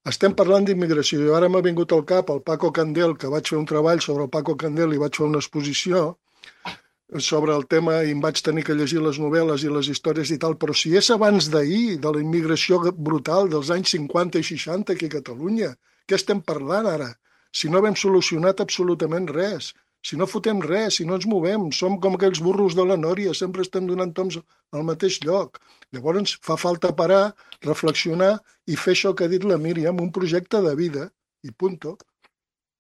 Estem parlant d'immigració. Jo ara m'ha vingut al cap el Paco Candel, que vaig fer un treball sobre el Paco Candel i vaig fer una exposició sobre el tema i em vaig tenir que llegir les novel·les i les històries i tal, però si és abans d'ahir, de la immigració brutal dels anys 50 i 60 aquí a Catalunya, què estem parlant ara? Si no hem solucionat absolutament res, si no fotem res, si no ens movem, som com aquells burros de la Nòria, sempre estem donant toms al mateix lloc. Llavors fa falta parar, reflexionar i fer això que ha dit la Míriam, un projecte de vida, i punto.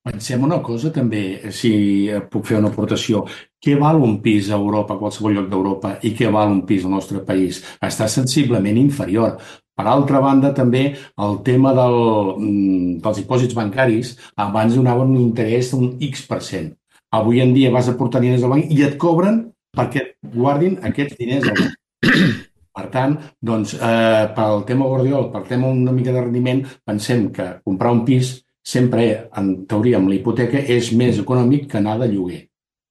Pensem una cosa també, si puc fer una aportació. Què val un pis a Europa, a qualsevol lloc d'Europa, i què val un pis al nostre país? Està sensiblement inferior. Per altra banda, també, el tema dels dipòsits bancaris, abans donaven un interès d'un X%. Avui en dia vas a portar diners al banc i et cobren perquè guardin aquests diners al banc. Per tant, doncs, pel tema Guardiola, pel tema una mica de rendiment, pensem que comprar un pis sempre, en teoria, amb la hipoteca, és més econòmic que anar de lloguer.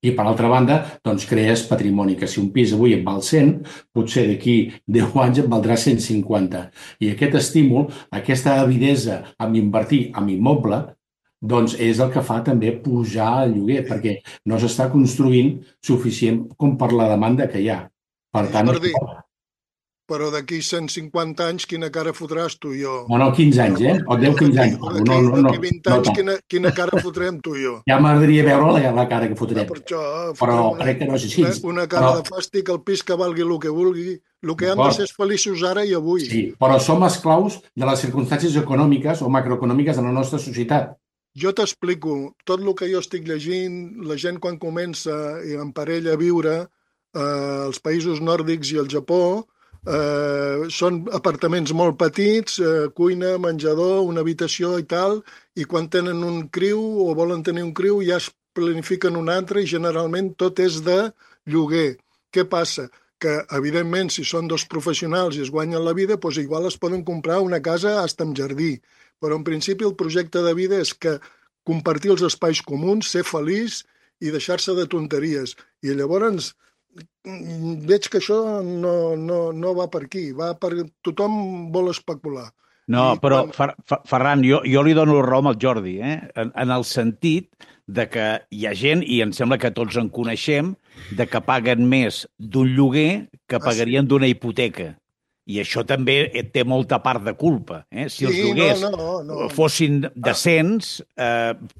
I, per altra banda, doncs crees patrimoni, que si un pis avui et val 100, potser d'aquí 10 anys et valdrà 150. I aquest estímul, aquesta avidesa amb invertir en immoble, doncs és el que fa també pujar el lloguer, perquè no s'està construint suficient com per la demanda que hi ha. Per tant, Jordi, però d'aquí 150 anys quina cara fotràs tu i jo? no, 15 anys, o 10-15 anys. D'aquí 20 anys quina cara fotrem tu i jo? Ja m'agradaria veure la cara que fotrem. Per això, Però crec que no és així. Una cara de fàstic, el pis que valgui el que vulgui. El que han de ser és feliços ara i avui. Sí, però som esclaus de les circumstàncies econòmiques o macroeconòmiques de la nostra societat. Jo t'explico, tot el que jo estic llegint, la gent quan comença en parella a viure als països nòrdics i al Japó, són apartaments molt petits, cuina, menjador, una habitació i tal, i quan tenen un criu o volen tenir un criu ja es planifiquen un altre i generalment tot és de lloguer. Què passa? Que, evidentment, si són dos professionals i es guanyen la vida, doncs igual es poden comprar una casa fins amb jardí. Però, en principi, el projecte de vida és que compartir els espais comuns, ser feliç i deixar-se de tonteries. I llavors veig que això no va per aquí. Tothom vol especular. No, però, Ferran, jo li dono raó al Jordi, en el sentit de que hi ha gent, i em sembla que tots en coneixem, de que paguen més d'un lloguer que pagarien d'una hipoteca. I això també té molta part de culpa. Si els lloguers fossin decents,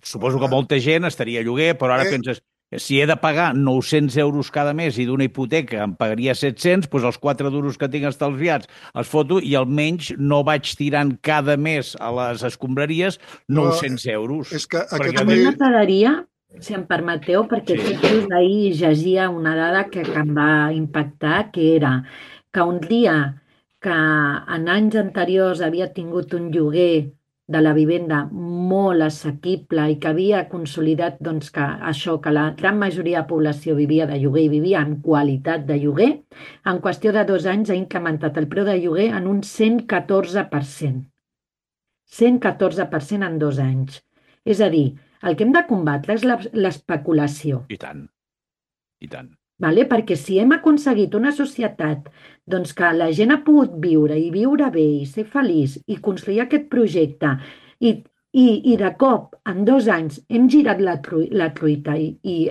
suposo que molta gent estaria a lloguer, però ara penses, si he de pagar 900 euros cada mes i d'una hipoteca em pagaria 700, doncs els 4 duros que tinc estalviats els foto i almenys no vaig tirant cada mes a les escombraries 900 euros. És que a mi m'agradaria, si em permeteu, perquè just ahir llegia una dada que em va impactar, que era que un dia que en anys anteriors havia tingut un lloguer de la vivenda molt assequible i que havia consolidat que la gran majoria de la població vivia de lloguer i vivia en qualitat de lloguer, en qüestió de 2 anys ha incrementat el preu de lloguer en un 114%. 114% en 2 anys. És a dir, el que hem de combatre és l'especulació. I tant, i tant. Vale? Perquè si hem aconseguit una societat que la gent ha pogut viure i viure bé i ser feliç i construir aquest projecte i de cop en 2 anys hem girat la truita i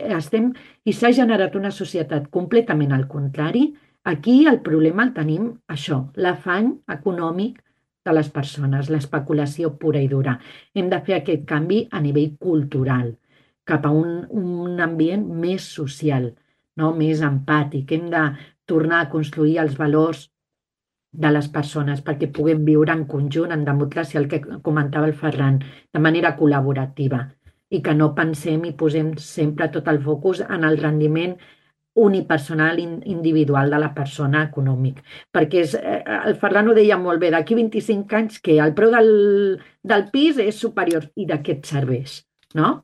s'ha generat una societat completament al contrari, aquí el problema el tenim això, l'afany econòmic de les persones, l'especulació pura i dura. Hem de fer aquest canvi a nivell cultural cap a un ambient més social, no? Més empàtic. Hem de tornar a construir els valors de les persones perquè puguem viure en conjunt, en democràcia, el que comentava el Ferran, de manera col·laborativa i que no pensem i posem sempre tot el focus en el rendiment unipersonal individual de la persona econòmic. Perquè el Ferran ho deia molt bé, d'aquí 25 anys que el preu del pis és superior i de què et serveix, no?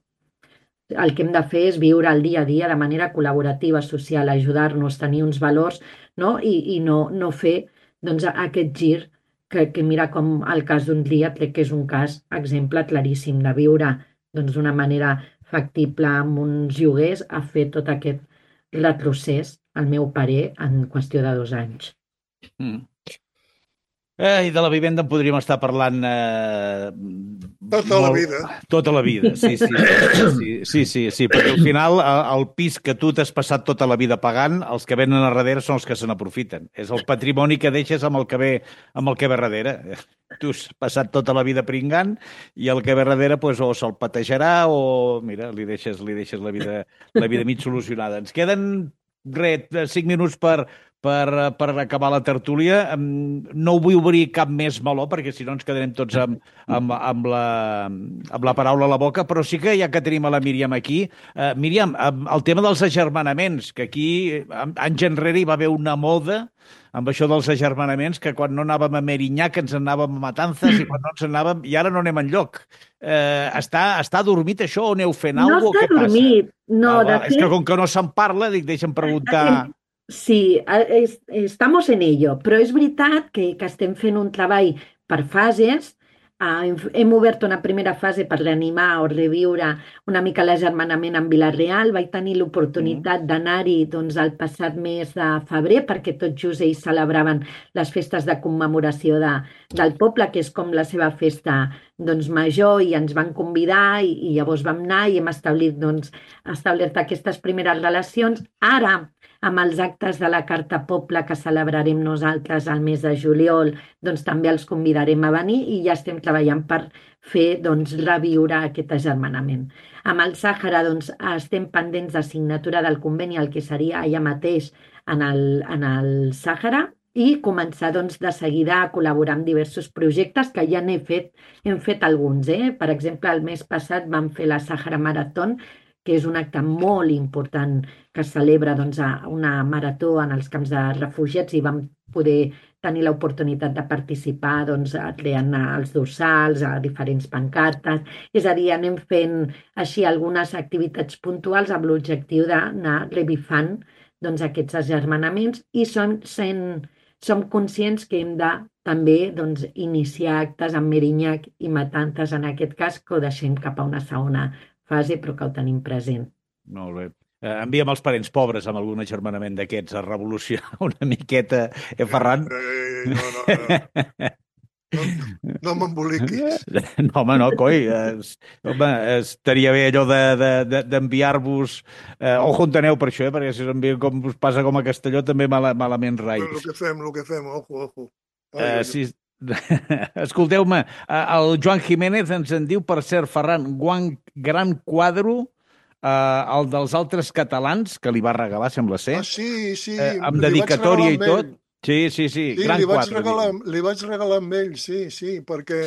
El que hem de fer és viure el dia a dia de manera col·laborativa, social, ajudar-nos, tenir uns valors, no? I no fer aquest gir que mira com el cas d'un dia, crec que és un cas, exemple claríssim, de viure d'una manera factible amb uns lloguers a fer tot aquest retrocés, al meu parer, en qüestió de 2 anys. I de la vivenda en podríem estar parlant tota la vida. Tota la vida, sí, perquè al final el pis que tu t'has passat tota la vida pagant, els que venen a darrere són els que se n'aprofiten. És el patrimoni que deixes amb el que ve darrere. Tu has passat tota la vida pringant i el que ve darrere doncs, o se'l patejarà o, mira, li deixes la vida mig solucionada. Ens queden 5 minuts per acabar la tertúlia. No ho vull obrir cap més meló, perquè si no ens quedarem tots amb la paraula a la boca, però sí que ja que tenim a la Míriam aquí. Míriam, el tema dels agermanaments, que aquí anys enrere hi va haver una moda amb això dels agermanaments, que quan no anàvem a Merinyac ens anàvem a Matanzas i quan no ens anàvem, i ara no anem enlloc. Està dormit això o aneu fent alguna cosa? No està dormit. No, és que com que no se'n parla, dic, deixa'm preguntar... Sí, estamos en ello, però és veritat que estem fent un treball per fases hem obert una primera fase per reanimar o reviure una mica l'agermanament en Vila-real. Vaig tenir l'oportunitat d'anar-hi doncs, el passat mes de febrer perquè tot just ells celebraven les festes de commemoració del poble, que és com la seva festa doncs, major, i ens van convidar i llavors vam anar i hem establert aquestes primeres relacions. Ara, amb els actes de la Carta Poble que celebrarem nosaltres al mes de juliol, doncs també els convidarem a venir i ja estem treballant per fer reviure aquest agermanament. Amb el Sàhara estem pendents de signatura del conveni, el que seria allà mateix en el Sàhara, i començar de seguida a col·laborar amb diversos projectes que ja hem fet alguns. Per exemple, el mes passat vam fer la Sàhara Maratón, que és un acte molt important que es celebra una marató en els camps de refugiats, i vam poder tenir l'oportunitat de participar creant els dorsals, a diferents pancartes. És a dir, anem fent així algunes activitats puntuals amb l'objectiu d'anar revifant aquests agermanaments, i som conscients que hem de també iniciar actes amb Merinyac i Matances, en aquest cas, que ho deixem cap a una segona fase, però que ho tenim present. Molt bé. Envia'm els parents pobres amb algun agermanament d'aquests a revolucionar una miqueta, Ferran? No m'emboliquis. No, home, no, coi. Estaria bé allò d'enviar-vos... Ojo on aneu per això, perquè si us envien com us passa com a Castelló, també malament rai. El que fem, ojo. Sí. Escolteu-me, el Joan Jiménez ens en diu, per cert, Ferran, gran quadre, el dels altres catalans, que li va regalar, sembla ser. Sí. Amb dedicatòria i tot. Sí, gran quadre. Li vaig regalar amb ell, sí, perquè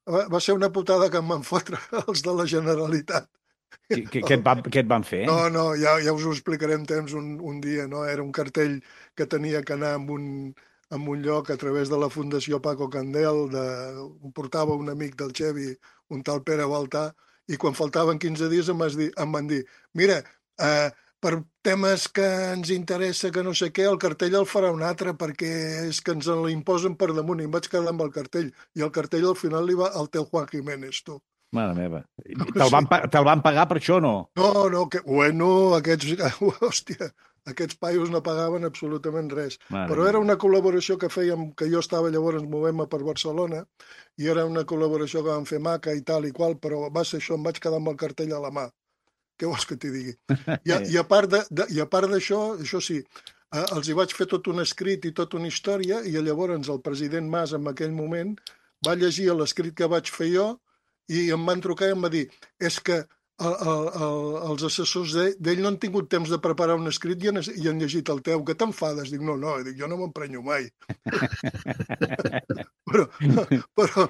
va ser una putada que em van fotre els de la Generalitat. Què et van fer? No, ja us ho explicaré en temps un dia, no? Era un cartell que tenia que anar en un lloc a través de la Fundació Paco Candel, ho portava un amic del Xevi, un tal Pere Baltà, i quan faltaven 15 dies em van dir, mira, per temes que ens interessa, que no sé què, el cartell el farà un altre, perquè és que ens l'imposen per damunt, i em vaig quedar amb el cartell, i el cartell al final li va al teu Juan Jiménez, tu. Mare meva. Te'l van pagar per això o no? No, aquests paios no pagaven absolutament res. Però era una col·laboració que fèiem, que jo estava llavors movent-me per Barcelona, i era una col·laboració que vam fer maca i tal i qual, però va ser això, em vaig quedar amb el cartell a la mà. Què vols que t'hi digui? I a part d'això, això sí, els hi vaig fer tot un escrit i tota una història, i llavors el president Mas en aquell moment va llegir l'escrit que vaig fer jo i em van trucar i em va dir, és que els assessors d'ell no han tingut temps de preparar un escrit i han llegit el teu. Que t'enfades? Dic, no, jo no m'emprenyo mai. però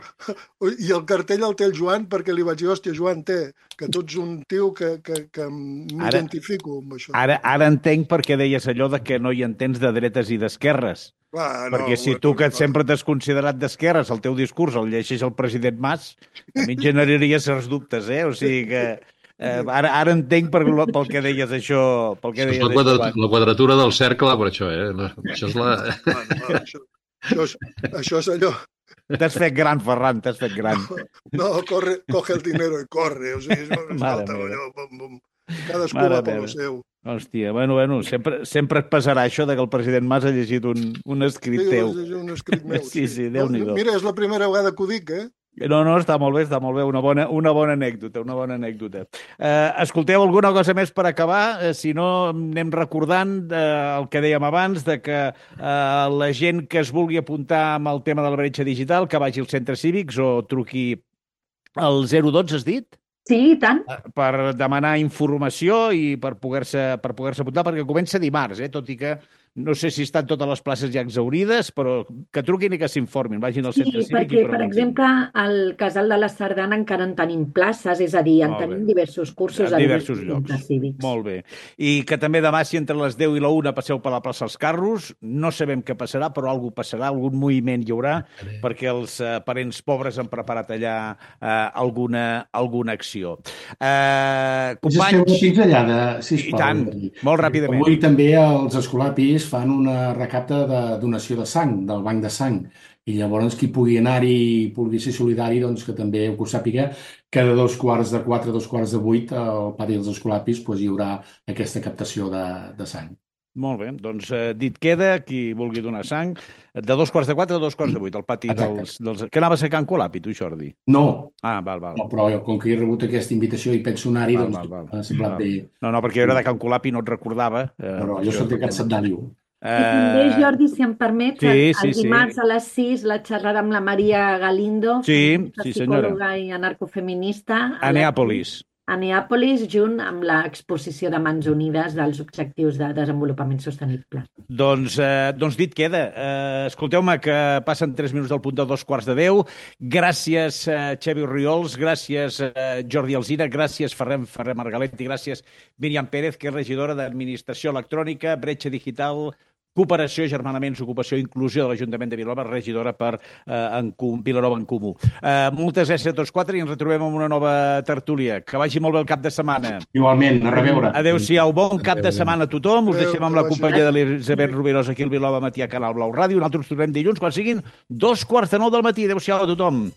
i el cartell el té el Joan, perquè li vaig dir, hòstia, Joan, que tu ets un tio que m'identifico amb això. Ara entenc per què deies allò de que no hi entens de dretes i d'esquerres. Perquè si tu, que sempre t'has considerat d'esquerres, el teu discurs el llegeix el president Mas, a mi generaria certs dubtes, O sigui que ara entenc pel que deies això. La quadratura del cercle, per això, Això és la... Això és allò... T'has fet gran, Ferran, t'has fet gran. No, coge el dinero i corre. O sigui, cadascú va per lo seu. Hòstia, bueno, sempre et passarà això que el president Mas ha llegit un escrit teu. Sí, un escrit meu. Sí, Déu-n'hi-do. Mira, és la primera vegada que ho dic, No, està molt bé, una bona anècdota. Escolteu, alguna cosa més per acabar? Si no, anem recordant el que dèiem abans, de que la gent que es vulgui apuntar amb el tema de la bretxa digital, que vagi als centres cívics o truqui al 012, has dit? Sí, i tant. Per demanar informació i per poder-se apuntar, perquè comença dimarts, tot i que no sé si estan totes les places ja exaurides, però que truquin i que s'informin, vagin al centre cívic. Sí, perquè, per exemple, al Casal de la Sardana encara en tenim places, és a dir, en tenim diversos cursos a diversos llocs. Cívics. Molt bé. I que també demà, si entre les 10 i la 1 passeu per la plaça dels Carros, no sabem què passarà, però alguna passarà, algun moviment hi haurà, perquè els parents pobres han preparat allà alguna acció. Companys... Una pinzellada, sisplau. I tant, molt ràpidament. Avui també els escolapis després fan una recapta de donació de sang, del banc de sang, i llavors qui pugui anar-hi i pugui ser solidari, doncs que també ho sàpiga, que de 3:45 a 2:45 al pati dels Escolapis doncs, hi haurà aquesta captació de sang. Molt bé, doncs dit queda, qui vulgui donar sang, de 3:45 a 2:45, al pati dels... Que anaves a Can Colapi, tu, Jordi? No. Val. No, però com que he rebut aquesta invitació i penso anar-hi, doncs m'ha semblat bé. No, perquè jo era de Can Colapi, no et recordava. Però jo soc de Can Setdàlio. I també, Jordi, si em permets, el dimarts a les 6, la xerrada amb la Maria Galindo, psicòloga i anarcofeminista, a Neàpolis. A Neàpolis, junt amb l'exposició de Mans Unides dels Objectius de Desenvolupament Sostenible. Doncs dit queda. Escolteu-me, que passen 3 minuts del punt de 2:45. Gràcies, Xavi Orriols, gràcies, Jordi Alsina, gràcies, Ferrer Margalet, i gràcies, Míriam Pérez, que és regidora d'Administració Electrònica, Bretxa Digital, Cooperació, Germanaments, Ocupació i Inclusió de l'Ajuntament de Vilanova, regidora per Vilanova en Comú. Moltes gràcies a tots quatre i ens retrobem amb una nova tertúlia. Que vagi molt bé el cap de setmana. Igualment, a reveure. Adéu-siau, bon cap de setmana a tothom. Us deixem amb la companyia de l'Elisabet Rubirosa aquí al Vilanova Matí a Canal Blau Ràdio. Nosaltres tornem dilluns quan siguin 9:15 del matí. Adéu-siau a tothom.